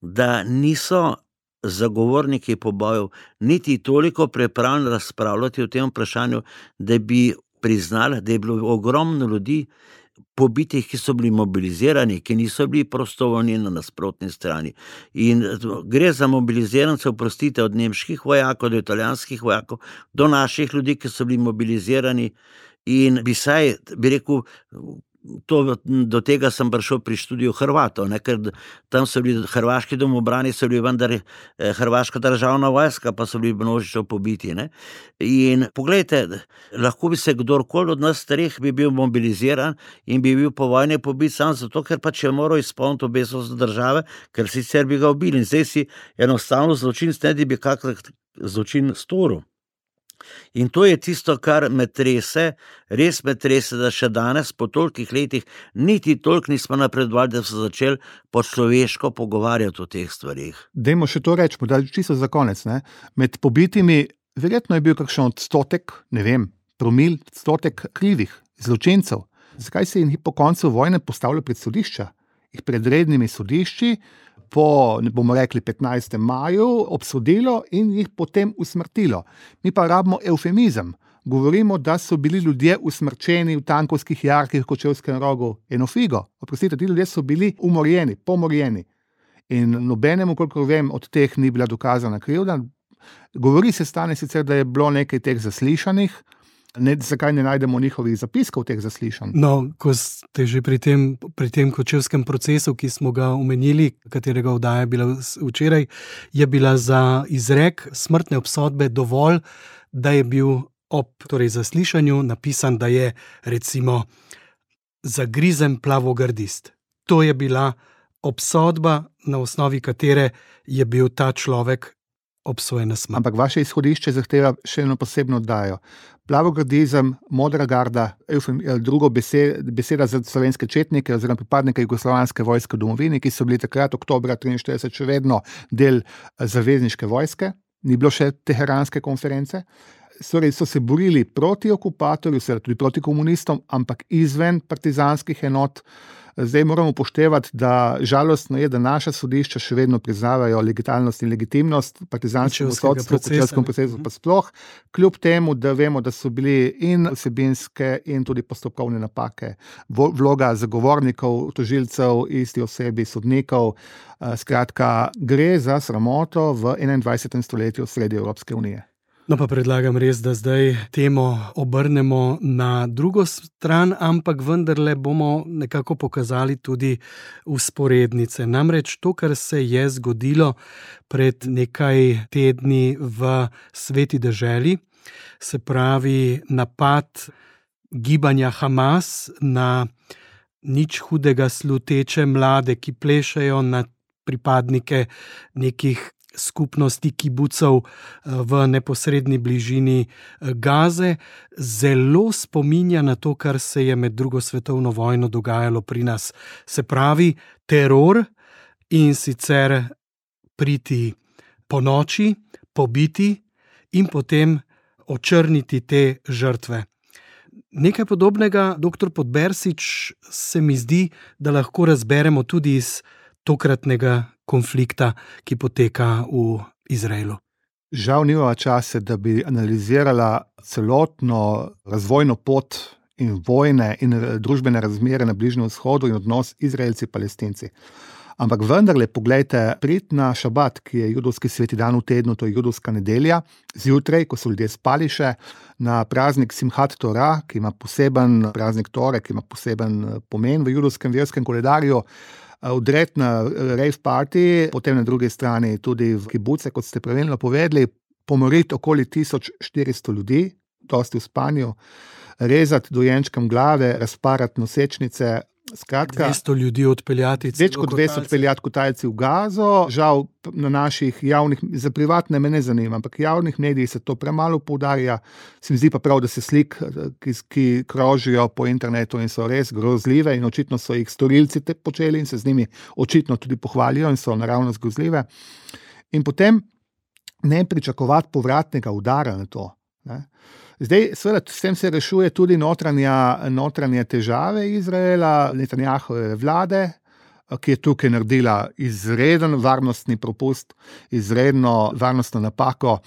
da niso zagovorniki pobojev niti toliko pripravljeni razpravljati o tem vprašanju, da bi priznali, da je bilo ogromno ljudi pobitih, ki so bili mobilizirani, ki niso bili prostovoljni na nasprotni strani. In gre za mobilizirance, oprostite, od nemških vojakov do italijanskih vojakov, do naših ljudi, ki so bili mobilizirani, in bi rekel, do tega sem prišel pri študiju Hrvatov, ker tam so bili hrvaški domobrani, so bili vendar hrvaška državna vojska, pa so bili množično pobiti. In poglejte, lahko bi se kdorkoli od nas starih bi bil mobiliziran in bi bil po vojni pobit sam zato, ker pač je moral izpolniti obesost države, ker sicer bi ga ubili. In zdaj si enostavno zločinec ne bi kakšen zločin storil. In to je tisto, kar me trese, res me trese, da še danes, po tolikih letih, niti toliko nismo napredovali, da so začeli po človeško pogovarjati o teh stvarih. Dajmo še to reči, da čisto za konec. Med pobitimi, verjetno je bil kakšen odstotek, ne vem, promil, odstotek krivih zločincev. Zakaj se jih po koncu vojne postavlja pred sodišča? Jih pred rednimi sodišči, po, ne bomo rekli, 15. maju obsodilo in jih potem usmrtilo. Mi pa rabimo eufemizem. Govorimo, da so bili ljudje usmrčeni v Tankovskih jarkih v Kočevskem Rogu. Eno figo. Oprostite, ti ljudje so bili umorjeni, pomorjeni. In nobenemu, kolikor vem, od teh ni bila dokazana krivda. Govori se stane sicer, da je bilo nekaj teh zaslišanih. Zakaj ne najdemo njihovih zapiskov teh zaslišanj? No, ko ste že pri tem kočevskem procesu, ki smo ga omenili, katerega oddaja je bila včeraj, je bila za izrek smrtne obsodbe dovolj, da je bil ob zaslišanju napisan, da je recimo zagrizen plavogardist. To je bila obsodba, na osnovi katere je bil ta človek obsojen na smrt. Ampak vaše izhodišče zahteva še eno posebno oddajo. Plavogardizem, modra garda, drugo beseda za slovenske četnike oziroma pripadnike jugoslovanske vojske v domovini, ki so bili takrat oktobra 1943 še vedno del zavezniške vojske, ni bilo še teheranske konference. So se borili proti okupatorju, tudi proti komunistom, ampak izven partizanskih enot. Zdaj moramo upoštevati, da žalostno je, da naša sodišča še vedno priznavajo legitimnost in legitimnost partizanskega sodstva, kočevskega procesa pa sploh, kljub temu, da vemo, da so bili in vsebinske in tudi postopkovne napake, vloga zagovornikov, tožilcev, isti osebi, sodnikov. Skratka, gre za sramoto v 21. stoletju sredi Evropske unije. No pa predlagam res, da zdaj temo obrnemo na drugo stran, ampak vendarle bomo nekako pokazali tudi vzporednice. Namreč to, kar se je zgodilo pred nekaj tedni v Sveti deželi, se pravi napad gibanja Hamas na nič hudega sluteče mlade, ki plešejo na pripadnike nekih skupnosti kibucov v neposredni bližini Gaze, zelo spominja na to, kar se je med drugo svetovno vojno dogajalo pri nas. Se pravi, teror, in sicer priti po noči, pobiti in potem očrniti te žrtve. Nekaj podobnega, dr. Podbersič, se mi zdi, da lahko razberemo tudi iz tokratnega konflikta, ki poteka v Izraelu. Žal nimava časa, da bi analizirala celotno razvojno pot in vojne in družbene razmere na Bližnjem vzhodu in odnos Izraelci-Palestinci. Ampak vendarle, poglejte, priti na šabat, ki je judovski sveti dan v tednu, to je judovska nedelja, zjutraj, ko so ljudje spali še, na praznik Simhat Torah, ki ima poseben praznik Tore, ki ima poseben pomen v judovskem verskem koledarju, vdret na rave party, potem na drugi strani tudi v kibuce, kot ste pravilno povedali, pomoriti okoli 1400 ljudi, dosti v spanju, rezati dojenčkam glave, razparati nosečnice, skratka, 200 ljudi odpeljati, več kot 200 odpeljati kot Talci v Gazo. Žal na naših javnih, za privatne me ne zanima, ampak javnih medijih se to premalo poudarja. Se mi zdi pa prav, da se slik, ki krožijo po internetu in so res grozljive in očitno so jih storilci te počeli in se z njimi očitno tudi pohvalijo in so naravnost grozljive. In potem ne pričakovati povratnega udara na to. Zdaj, seveda, s tem se rešuje tudi notranje težave Izraela, Netanjahove vlade, ki je tukaj naredila izreden varnostni propust, izredno varnostno napako.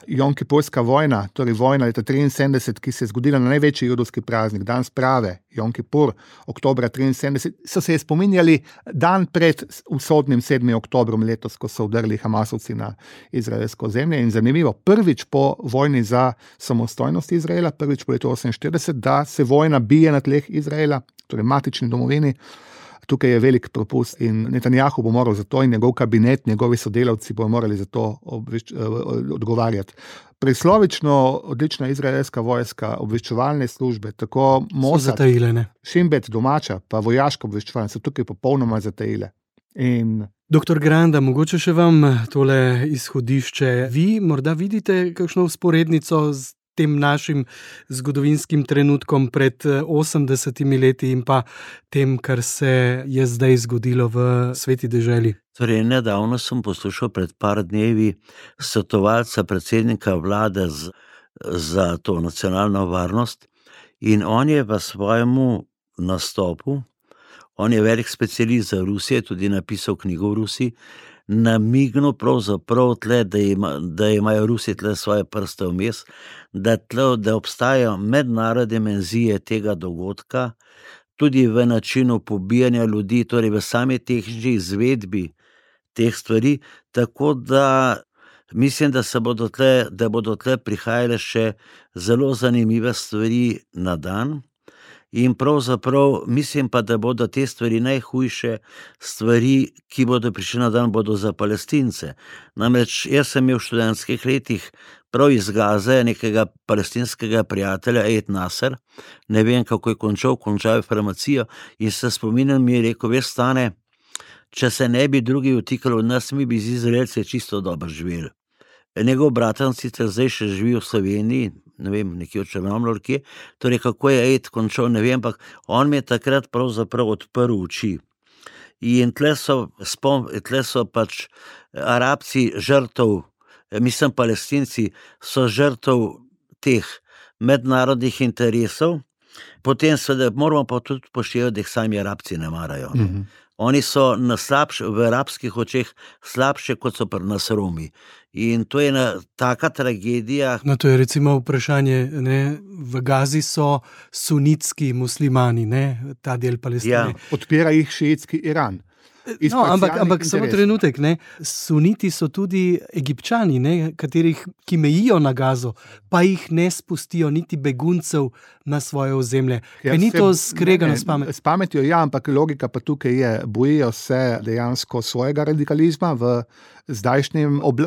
Jomkipurska vojna, torej vojna leta 1973, ki se je zgodila na največji judovski praznik, dan sprave, Jomkipur, oktobra 1973, so se je spominjali dan pred usodnim 7. oktobrom letos, ko so vdrli Hamasovci na izraelsko zemlje. In zanimivo, prvič po vojni za samostojnost Izraela, prvič po letu 1948, da se vojna bije na tleh Izraela, torej matični domovini. Tukaj je velik propust in Netanjahu bo moral za to in njegov kabinet, njegovi sodelavci bo morali za to odgovarjati. Preslovično odlična izraelska vojska, obveščevalne službe, tako Mossad, Shin Bet domača, pa vojaško obveščevalne so tukaj popolnoma zatajile. Doktor Granda, mogoče še vam tole izhodišče. Vi morda vidite kakšno vzporednico z tem našim zgodovinskim trenutkom pred 80 leti in pa tem, kar se je zdaj zgodilo v sveti deželi? Torej, nedavno sem poslušal pred par dnevi svetovalca predsednika vlade za to nacionalno varnost in on je v svojemu nastopu, on je velik specialist za Rusijo, tudi napisal knjigo v Rusiji, namignil pravzaprav tle, da imajo Rusi tle svoje prste vmes, da obstajajo mednarodne dimenzije tega dogodka, tudi v načinu pobijanja ljudi, torej v sami tehnični izvedbi teh stvari, tako da mislim, da bodo tle prihajale še zelo zanimive stvari na dan. In pravzaprav mislim pa, da bodo te stvari najhujše stvari, ki bodo prišli na dan, bodo za Palestince. Namreč jaz sem imel v študentskih letih prav iz Gaze nekega palestinskega prijatelja, Ed Nasser, ne vem, kako je končal je farmacijo in se spominjam, mi je rekel, veš, Stane, če se ne bi drugi vtikali v nas, mi bi z Izraelci čisto dobro živeli. Njegov bratan sicer zdaj še živi v Sloveniji, ne vem, nekje v Črnomlju, torej kako je Ed končal, ne vem, ampak on mi je takrat pravzaprav odprl oči. In tle so pač Arabci žrtev, mislim Palestinci so žrtev teh mednarodnih interesov, potem seveda moramo pa tudi poštevati, da jih sami Arabci ne marajo. Oni so v arabskih očeh slabše, kot so pri nas Romi. In to je taka tragedija. No, to je recimo vprašanje, ne? V Gazi so sunitski muslimani, ne? Ta del Palestine. Ja. Podpira jih šiitski Iran. No, ampak samo trenutek, ne? Suniti so tudi Egipčani, ne? Ki mejijo na Gazo, pa jih ne spustijo niti beguncev na svoje ozemlje. Ja, ni to skregano s pametjo? S pametjo, ja, ampak logika pa tukaj je, bojijo se dejansko svojega radikalizma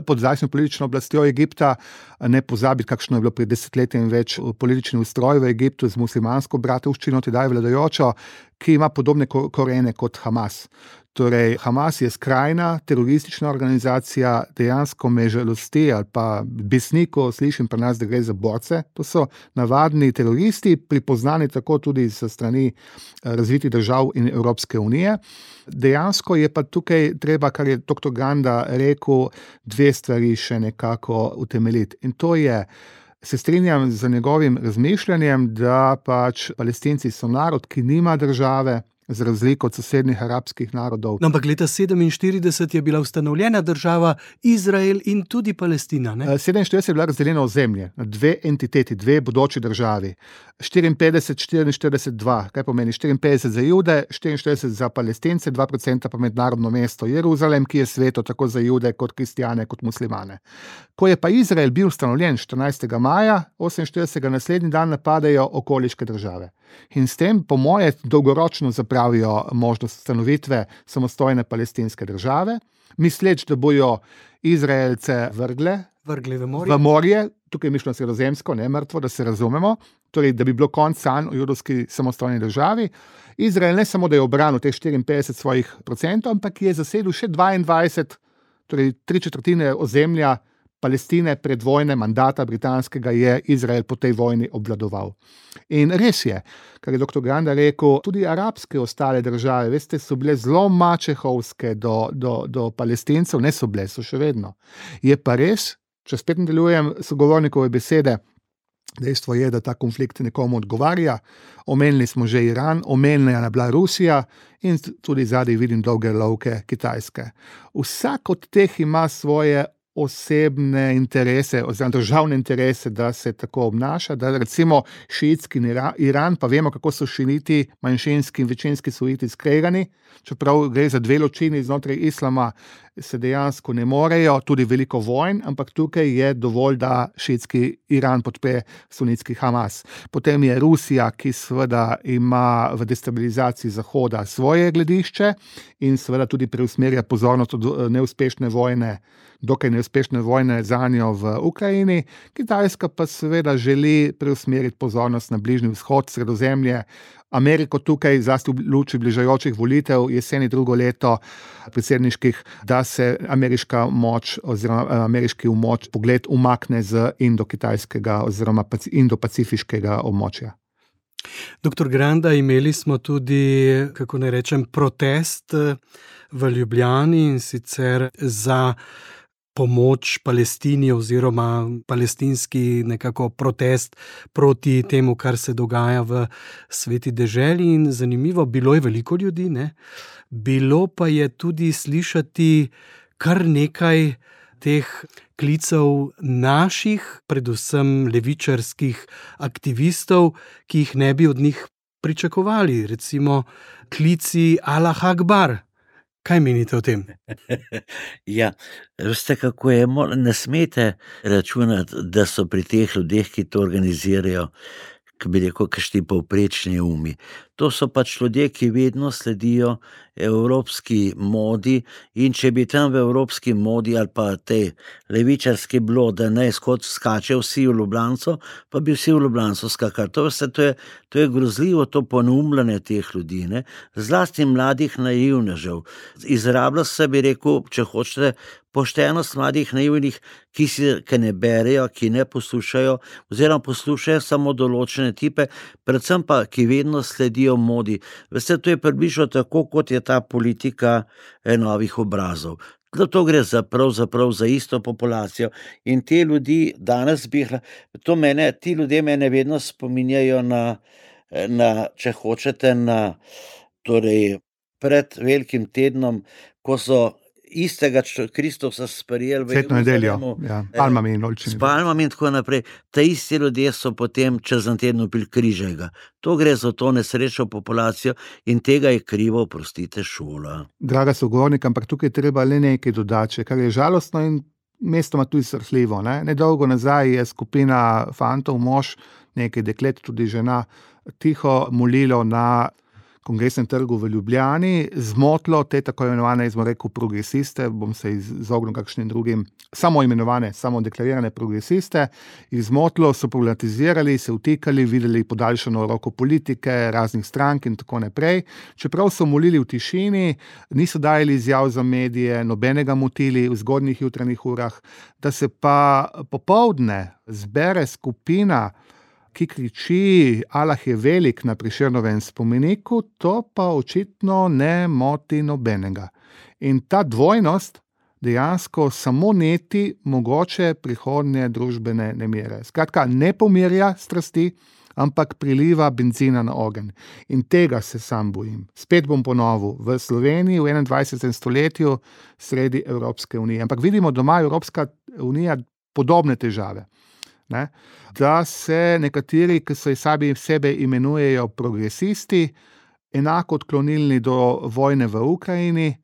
pod zdajšnjo politično oblastjo Egipta, ne pozabiti, kakšno je bilo pred desetletjem več politični ustroj v Egiptu z muslimansko bratovščino, tedaj vladajočo, ki ima podobne korene kot Hamas. Torej, Hamas je skrajna teroristična organizacija, dejansko me žalosti ali pa besniko slišim pri nas, da gre za borce. To so navadni teroristi, pripoznani tako tudi sa strani razvitih držav in Evropske unije. Dejansko je pa tukaj treba, kar je dr. Granda rekel, dve stvari še nekako utemeljiti. In to je, se strinjam z njegovim razmišljanjem, da pač Palestinci so narod, ki nima države, z razliko od sosednjih arabskih narodov. No, ampak leta 1947 je bila ustanovljena država Izrael in tudi Palestina, ne? 1947 je bila razdeljena ozemlje na dve entiteti, dve bodoči državi. 54-44-2, kaj pomeni 54 za Jude, 44 za Palestince, 2% pa mednarodno mesto Jeruzalem, ki je sveto tako za Jude kot kristjane kot muslimane. Ko je pa Izrael bil ustanovljen 14. maja 48, naslednji dan napadajo okoliške države. In s tem, po moje, dolgoročno zapravijo možnost ustanovitve samostojne palestinske države, misleč, da bojo Izraelce vrgli v morje, tukaj je mišljeno sredozemsko, ne mrtvo, da se razumemo, torej, da bi bilo konec sanj o judovski samostojni državi. Izrael ne samo, da je obranil teh 54 svojih procentov, ampak je zasedel še 22, torej 3/4 ozemlja Palestine pred vojne mandata britanskega je Izrael po tej vojni obvladoval. In res je, kar je dr. Granda rekel, tudi arabske ostale države, veste, so bile zelo mačehovske do Palestincev, ne so bile, so še vedno. Je pa res, če spet nadaljujem sogovornikove besede, Dejstvo je, da ta konflikt nekomu odgovarja. Omenili smo že Iran, omenjena je bila Rusija in tudi zadaj vidim dolge lovke Kitajske. Vsak od teh ima svoje osebne interese, oziroma državne interese, da se tako obnaša, da recimo šiitski Iran, pa vemo, kako so šiiti, manjšinski in večinski suniti skregani, čeprav gre za dve ločini znotraj islama, se dejansko ne morejo, tudi veliko vojn, ampak tukaj je dovolj, da šiitski Iran podpre sunitski Hamas. Potem je Rusija, ki seveda ima v destabilizaciji Zahoda svoje gledišče in seveda tudi preusmerja pozornost od neuspešne vojne, dokaj neuspešne vojne za njo v Ukrajini. Kitajska pa seveda želi preusmeriti pozornost na Bližnji vzhod, Sredozemlje, Ameriko tukaj, zlasti v luči bližajočih volitev, jeseni drugo leto predsedniških, da se ameriška moč oziroma ameriški pogled umakne z indo-kitajskega oziroma indo-pacifiškega območja. Doktor Granda, imeli smo tudi, kako naj rečem, protest v Ljubljani, in sicer za pomoč Palestini oziroma palestinski nekako protest proti temu, kar se dogaja v sveti deželi. In zanimivo, bilo je veliko ljudi, ne? Bilo pa je tudi slišati kar nekaj teh klicev naših, predvsem levičarskih aktivistov, ki jih ne bi od njih pričakovali. Recimo klici Allah Akbar. Kaj menite o tem? Ja, veste, kako je, ne smete računati, da so pri teh ljudeh, ki to organizirajo, ki bi rekel, kakšni povprečni umi. To so pač ljudje, ki vedno sledijo evropski modi, in če bi tam v evropski modi ali pa tej levičarski bilo, da ne skače vsi v Ljubljanco, pa bi vsi v Ljubljanco skakali. To je grozljivo, to poneumljanje teh ljudi, ne? Zlasti mladih naivnežev. Izrablja se, bi rekel, če hočete, poštenost mladih naivnih, ki ne berejo, ki ne poslušajo, oziroma poslušajo samo določene tipe, predvsem pa, ki vedno sledijo modi. Veste, to je približno tako, kot je ta politika novih obrazov. To gre pravzaprav za isto populacijo. In te ljudi danes ti ljudje mene vedno spominjajo na če hočete, torej pred velikim tednom, ko so istega Kristusa sprejeli Svetno nedeljo, palmami in olčini. S palmami in tako naprej. Ta isti ljudje so potem čez en teden upili križega. To gre za to nesrečo populacijo in tega je krivo, oprostite, šola. Draga sogovornika, ampak tukaj treba le nekaj dodati, kar je žalostno in mestoma tudi srhljivo. Nedolgo nazaj je skupina fantov, mož, nekaj deklet, tudi žena, tiho molilo na Kongresnem trgu v Ljubljani, zmotlo te tako imenovane, progresiste, bom se izognil kakšnim drugim, samo deklarirane progresiste, izmotlo, so problematizirali, se vtikali, videli podaljšano roko politike, raznih strank in tako naprej. Čeprav so molili v tišini, niso dajali izjav za medije, nobenega motili v zgodnjih jutranjih urah, da se pa popoldne zbere skupina, ki kriči Allah je velik na Prešernovem spomeniku, to pa očitno ne moti nobenega. In ta dvojnost dejansko samo neti mogoče prihodnje družbene nemire. Skratka, ne pomirja strasti, ampak priliva benzina na ogenj. In tega se sam bojim. Spet bom ponovil, v Sloveniji v 21. stoletju sredi Evropske unije. Ampak vidimo, da ima Evropska unija podobne težave. Da se nekateri, ki so sebe imenujejo progresisti, enako odklonilni do vojne v Ukrajini,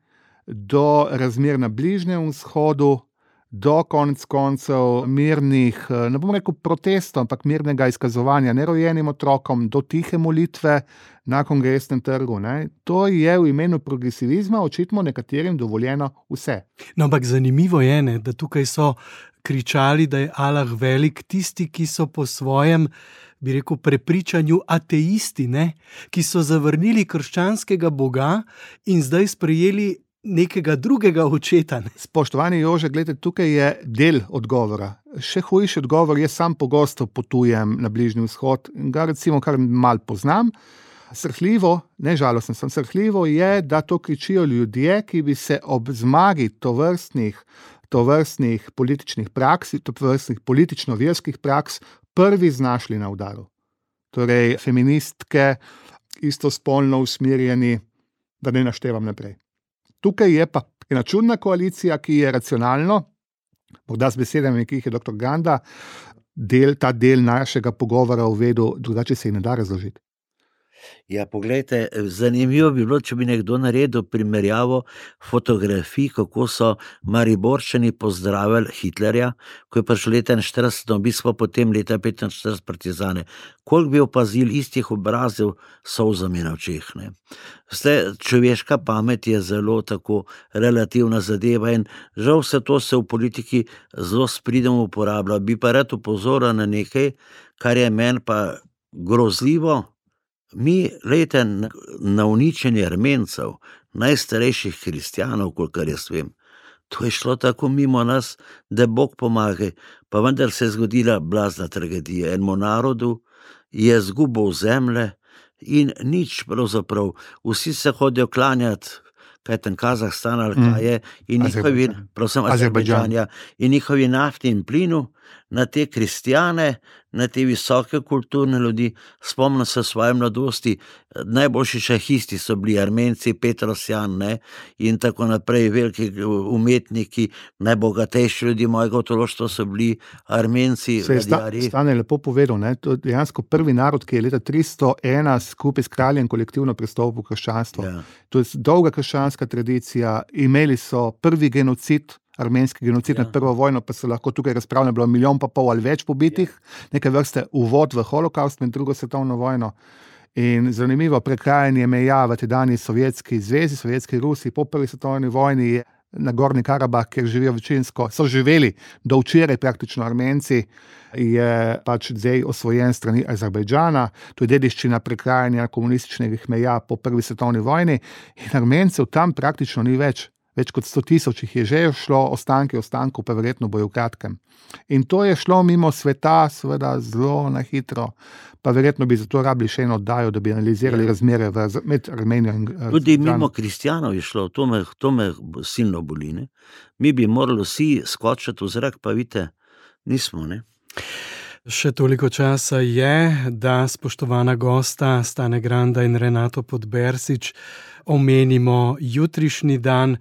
do razmer na Bližnjem vzhodu, do konec koncev mirnih, ne bom rekel protestov, ampak mirnega izkazovanja nerojenim otrokom, do tihe molitve na Kongresnem trgu. To je v imenu progresivizma očitno nekaterim dovoljeno vse. No, ampak zanimivo je, da tukaj so kričali, da je Allah velik, tisti, ki so po svojem, bi rekel, prepričanju ateisti, ki so zavrnili krščanskega Boga in zdaj sprejeli nekega drugega očeta. Spoštovani Jože, gledajte, tukaj je del odgovora. Še hujši odgovor, jaz sam pogosto potujem na Bližnji vzhod in ga recimo kar malo poznam. Srhljivo, ne žalostno, srhljivo je, da to kričijo ljudje, ki bi se ob zmagi tovrstnih političnih praks, tovrstnih politično-verskih praks prvi znašli na udaru. Torej, feministke, istospolno usmerjeni, da ne naštevam naprej. Tukaj je pa ena čudna koalicija, ki je racionalno, morda z besedami, ki jih je dr. Ganda, ta del našega pogovora uvedel, drugače se jih ne da razložiti. Ja, poglejte, zanimivo bi bilo, če bi nekdo naredil primerjavo fotografij, kako so Mariborčani pozdravili Hitlerja, ko je prišel leta 1940 na obisk, pa potem leta 1945 partizane. Koliko bi opazili istih obrazov s solzami na očeh, ne? Zdaj, človeška pamet je zelo tako relativna zadeva in žal vse to se v politiki zelo spridno uporablja. Bi pa rad opozoril na nekaj, kar je meni pa grozljivo. Mi, glejte, na uničenje Armencev, najstarejših kristjanov, kolikor jaz vem, to je šlo tako mimo nas, da Bog pomaga, pa vendar se je zgodila blazna tragedija. Enemu narodu je izgubil zemlje in nič pravzaprav. Vsi se hodijo klanjati, kaj ten Kazahstan ali kaj je, in njihovi, Azerbajdžan, in njihovi nafti in plinu na te kristjane, na te visoke kulturne ljudi. Spomnim se svoje mladosti, najboljši šahisti so bili Armenci, Petrosjan, ne, in tako naprej, veliki umetniki, najbogatejši ljudi mojega otroštva so bili Armenci, ladjarji. Stane lepo povedal, ne, to je dejansko prvi narod, ki je leta 301 skupaj s kraljem kolektivno prestopil v krščanstvo. Ja. To je dolga krščanska tradicija, imeli so prvi genocid, armenski genocid nad prvo vojno, pa se lahko tukaj razpravlja, bilo 1,5 milijona ali več pobitih, nekaj vrste uvod v holokaust med drugo svetovno vojno. In zanimivo, prekrajanje meja v tedanji Sovjetski zvezi, Sovjetski Rusiji po prvi svetovni vojni je na Gornji Karabah, kjer živijo večinsko, so živeli do včeraj praktično Armenci, je pač zdaj osvojen strani Azerbajdžana, to je dediščina prekrajanja komunističnih meja po prvi svetovni vojni in Armencev tam praktično ni več. Več kot 100 000 jih je že šlo, ostankov pa verjetno bojo v kratkem. In to je šlo mimo sveta, seveda zelo na hitro, pa verjetno bi zato rabili še eno oddajo, da bi analizirali razmere med Armenijo in tudi mimo kristjanov je šlo, to me silno boli, ne? Mi bi morali vsi skočiti v zrak, pa vidite, nismo, ne? Še toliko časa je, da spoštovana gosta Stane Granda in Renato Podbersič omenimo jutrišnji dan,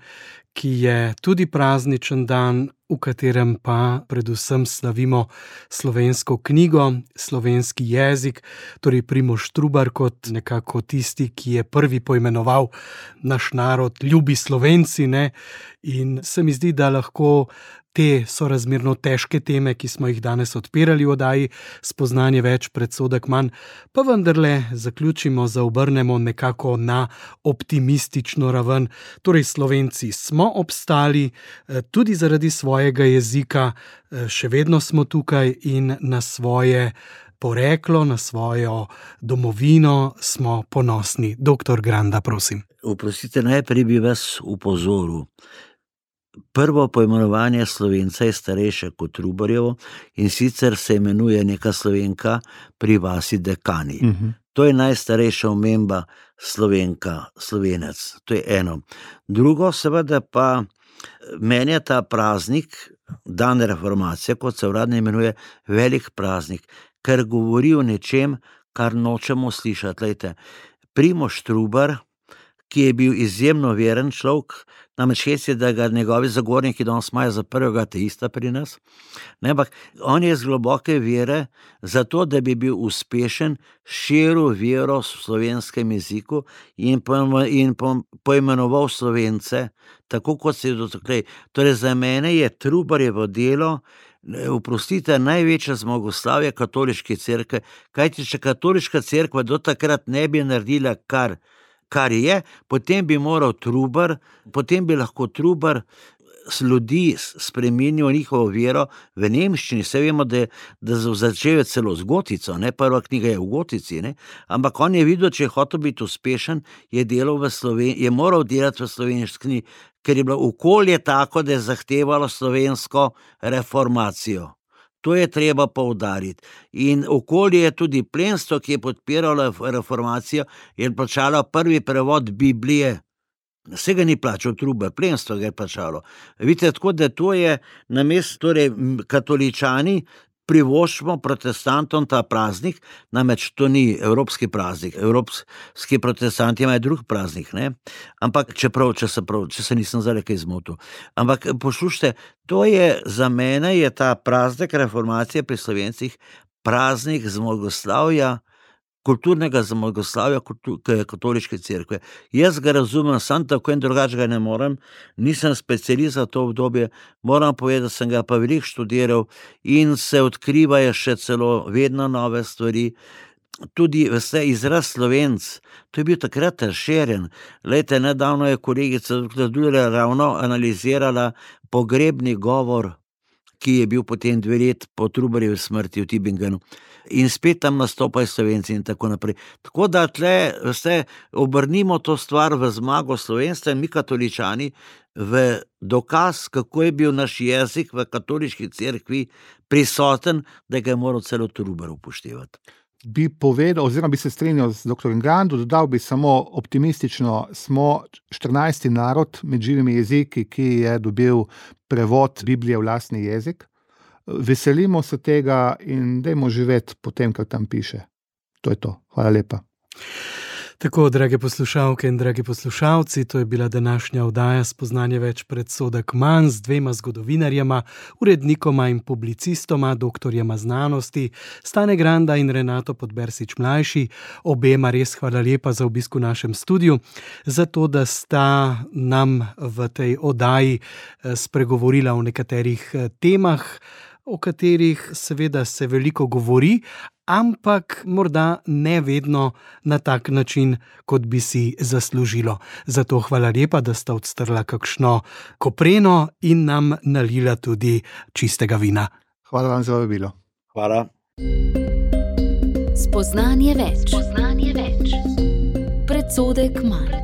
ki je tudi prazničen dan, v katerem pa predvsem slavimo slovensko knjigo, slovenski jezik, torej Primož Trubar kot nekako tisti, ki je prvi poimenoval naš narod, ljubi Slovenci, ne? In se mi zdi, da lahko te sorazmerno težke teme, ki smo jih danes odpirali v oddaji Spoznanje več, predsodek manj, pa vendarle zaključimo, zaobrnemo nekako na optimistično raven. Torej, Slovenci smo obstali tudi zaradi svojega jezika, še vedno smo tukaj in na svoje poreklo, na svojo domovino smo ponosni. Doktor Granda, prosim. Oprostite, najprej bi vas upozoril. Prvo poimenovanje Slovenca je starejše kot Trubarjevo in sicer se imenuje neka Slovenka pri vasi Dekani. To je najstarejša omemba Slovenka, Slovenec. To je eno. Drugo, seveda pa meni je ta praznik, dan reformacije, kot se uradno imenuje, velik praznik, ker govori o nečem, kar nočemo slišati. Lejte, Primož Trubar, ki je bil izjemno veren človek, namreč je, da ga njegovi zagovorniki danes imajo za prvega ateista pri nas, ampak on je z globoke vere, zato da bi bil uspešen, širil vero v slovenskem jeziku in poimenoval Slovence, tako kot se je dotakle. Torej, za mene je Trubarjevo delo, oprostite, največja zmagoslavje katoliške cerkve, kajti če katoliška cerkva do takrat ne bi naredila kar je, potem bi lahko Trubar ljudi spremenil njihovo vero v nemščini. Vse vemo, da začel celo z gotico, ne, prva knjiga je v gotici, ne, ampak on je videl, če je hotel biti uspešen, je moral delati v slovenščini, ker je bilo okolje tako, da je zahtevalo slovensko reformacijo. To je treba poudariti. In okolje je tudi plemstvo, ki je podpiralo reformacijo, je plačalo prvi prevod Biblije. Vse ga ni plačal Trubar, plemstvo ga je plačalo. Vidite, tako da to je namesto, torej katoličani privoščimo protestantom ta praznik, namreč to ni evropski praznik, evropski protestanti imajo drug praznik, ne? Ampak če se nisem zdaj kaj zmotil. Ampak poslušajte, to je za mene je ta praznik reformacije pri Slovencih praznik zmagoslavja, kulturnega zmagoslavja katoliške cerkve. Jaz ga razumem, sam tako in drugače ga ne morem, nisem specialist za to obdobje, moram povedati, da sem ga pa veliko študiral in se odkrivajo še celo vedno nove stvari. Tudi vse izraz Slovenc, to je bil takrat razširjen. Glejte, nedavno je kolegica Dula ravno analizirala pogrebni govor, ki je bil potem 2 leti po Trubarjevi smrti v Tübingenu. In spet tam nastopajo Slovenci in tako naprej. Tako da tle vse obrnimo to stvar v zmago slovenstva in mi katoličani v dokaz, kako je bil naš jezik v katoliški cerkvi prisoten, da ga je moral celo Trubar upoštevati. Bi povedal, oziroma bi se strinjal z dr. Grando, dodal bi samo optimistično, smo 14. narod med živimi jeziki, ki je dobil prevod Biblije v lastni jezik. Veselimo se tega in dajmo živeti po tem, kar tam piše. To je to. Hvala lepa. Tako, drage poslušalke in dragi poslušalci, to je bila današnja oddaja Spoznanje več predsodek manj z 2 zgodovinarjema, urednikoma in publicistoma, doktorjema znanosti, Stane Granda in Renato Podbersič mlajši. Obema res hvala lepa za obisk v našem studiu, za to, da sta nam v tej oddaji spregovorila o nekaterih temah, o katerih seveda se veliko govori, ampak morda ne vedno na tak način, kot bi si zaslužilo. Zato hvala lepa, da sta odstrla kakšno kopreno in nam nalila tudi čistega vina. Hvala vam za vabilo. Hvala. Spoznanje več. Predsodek manj.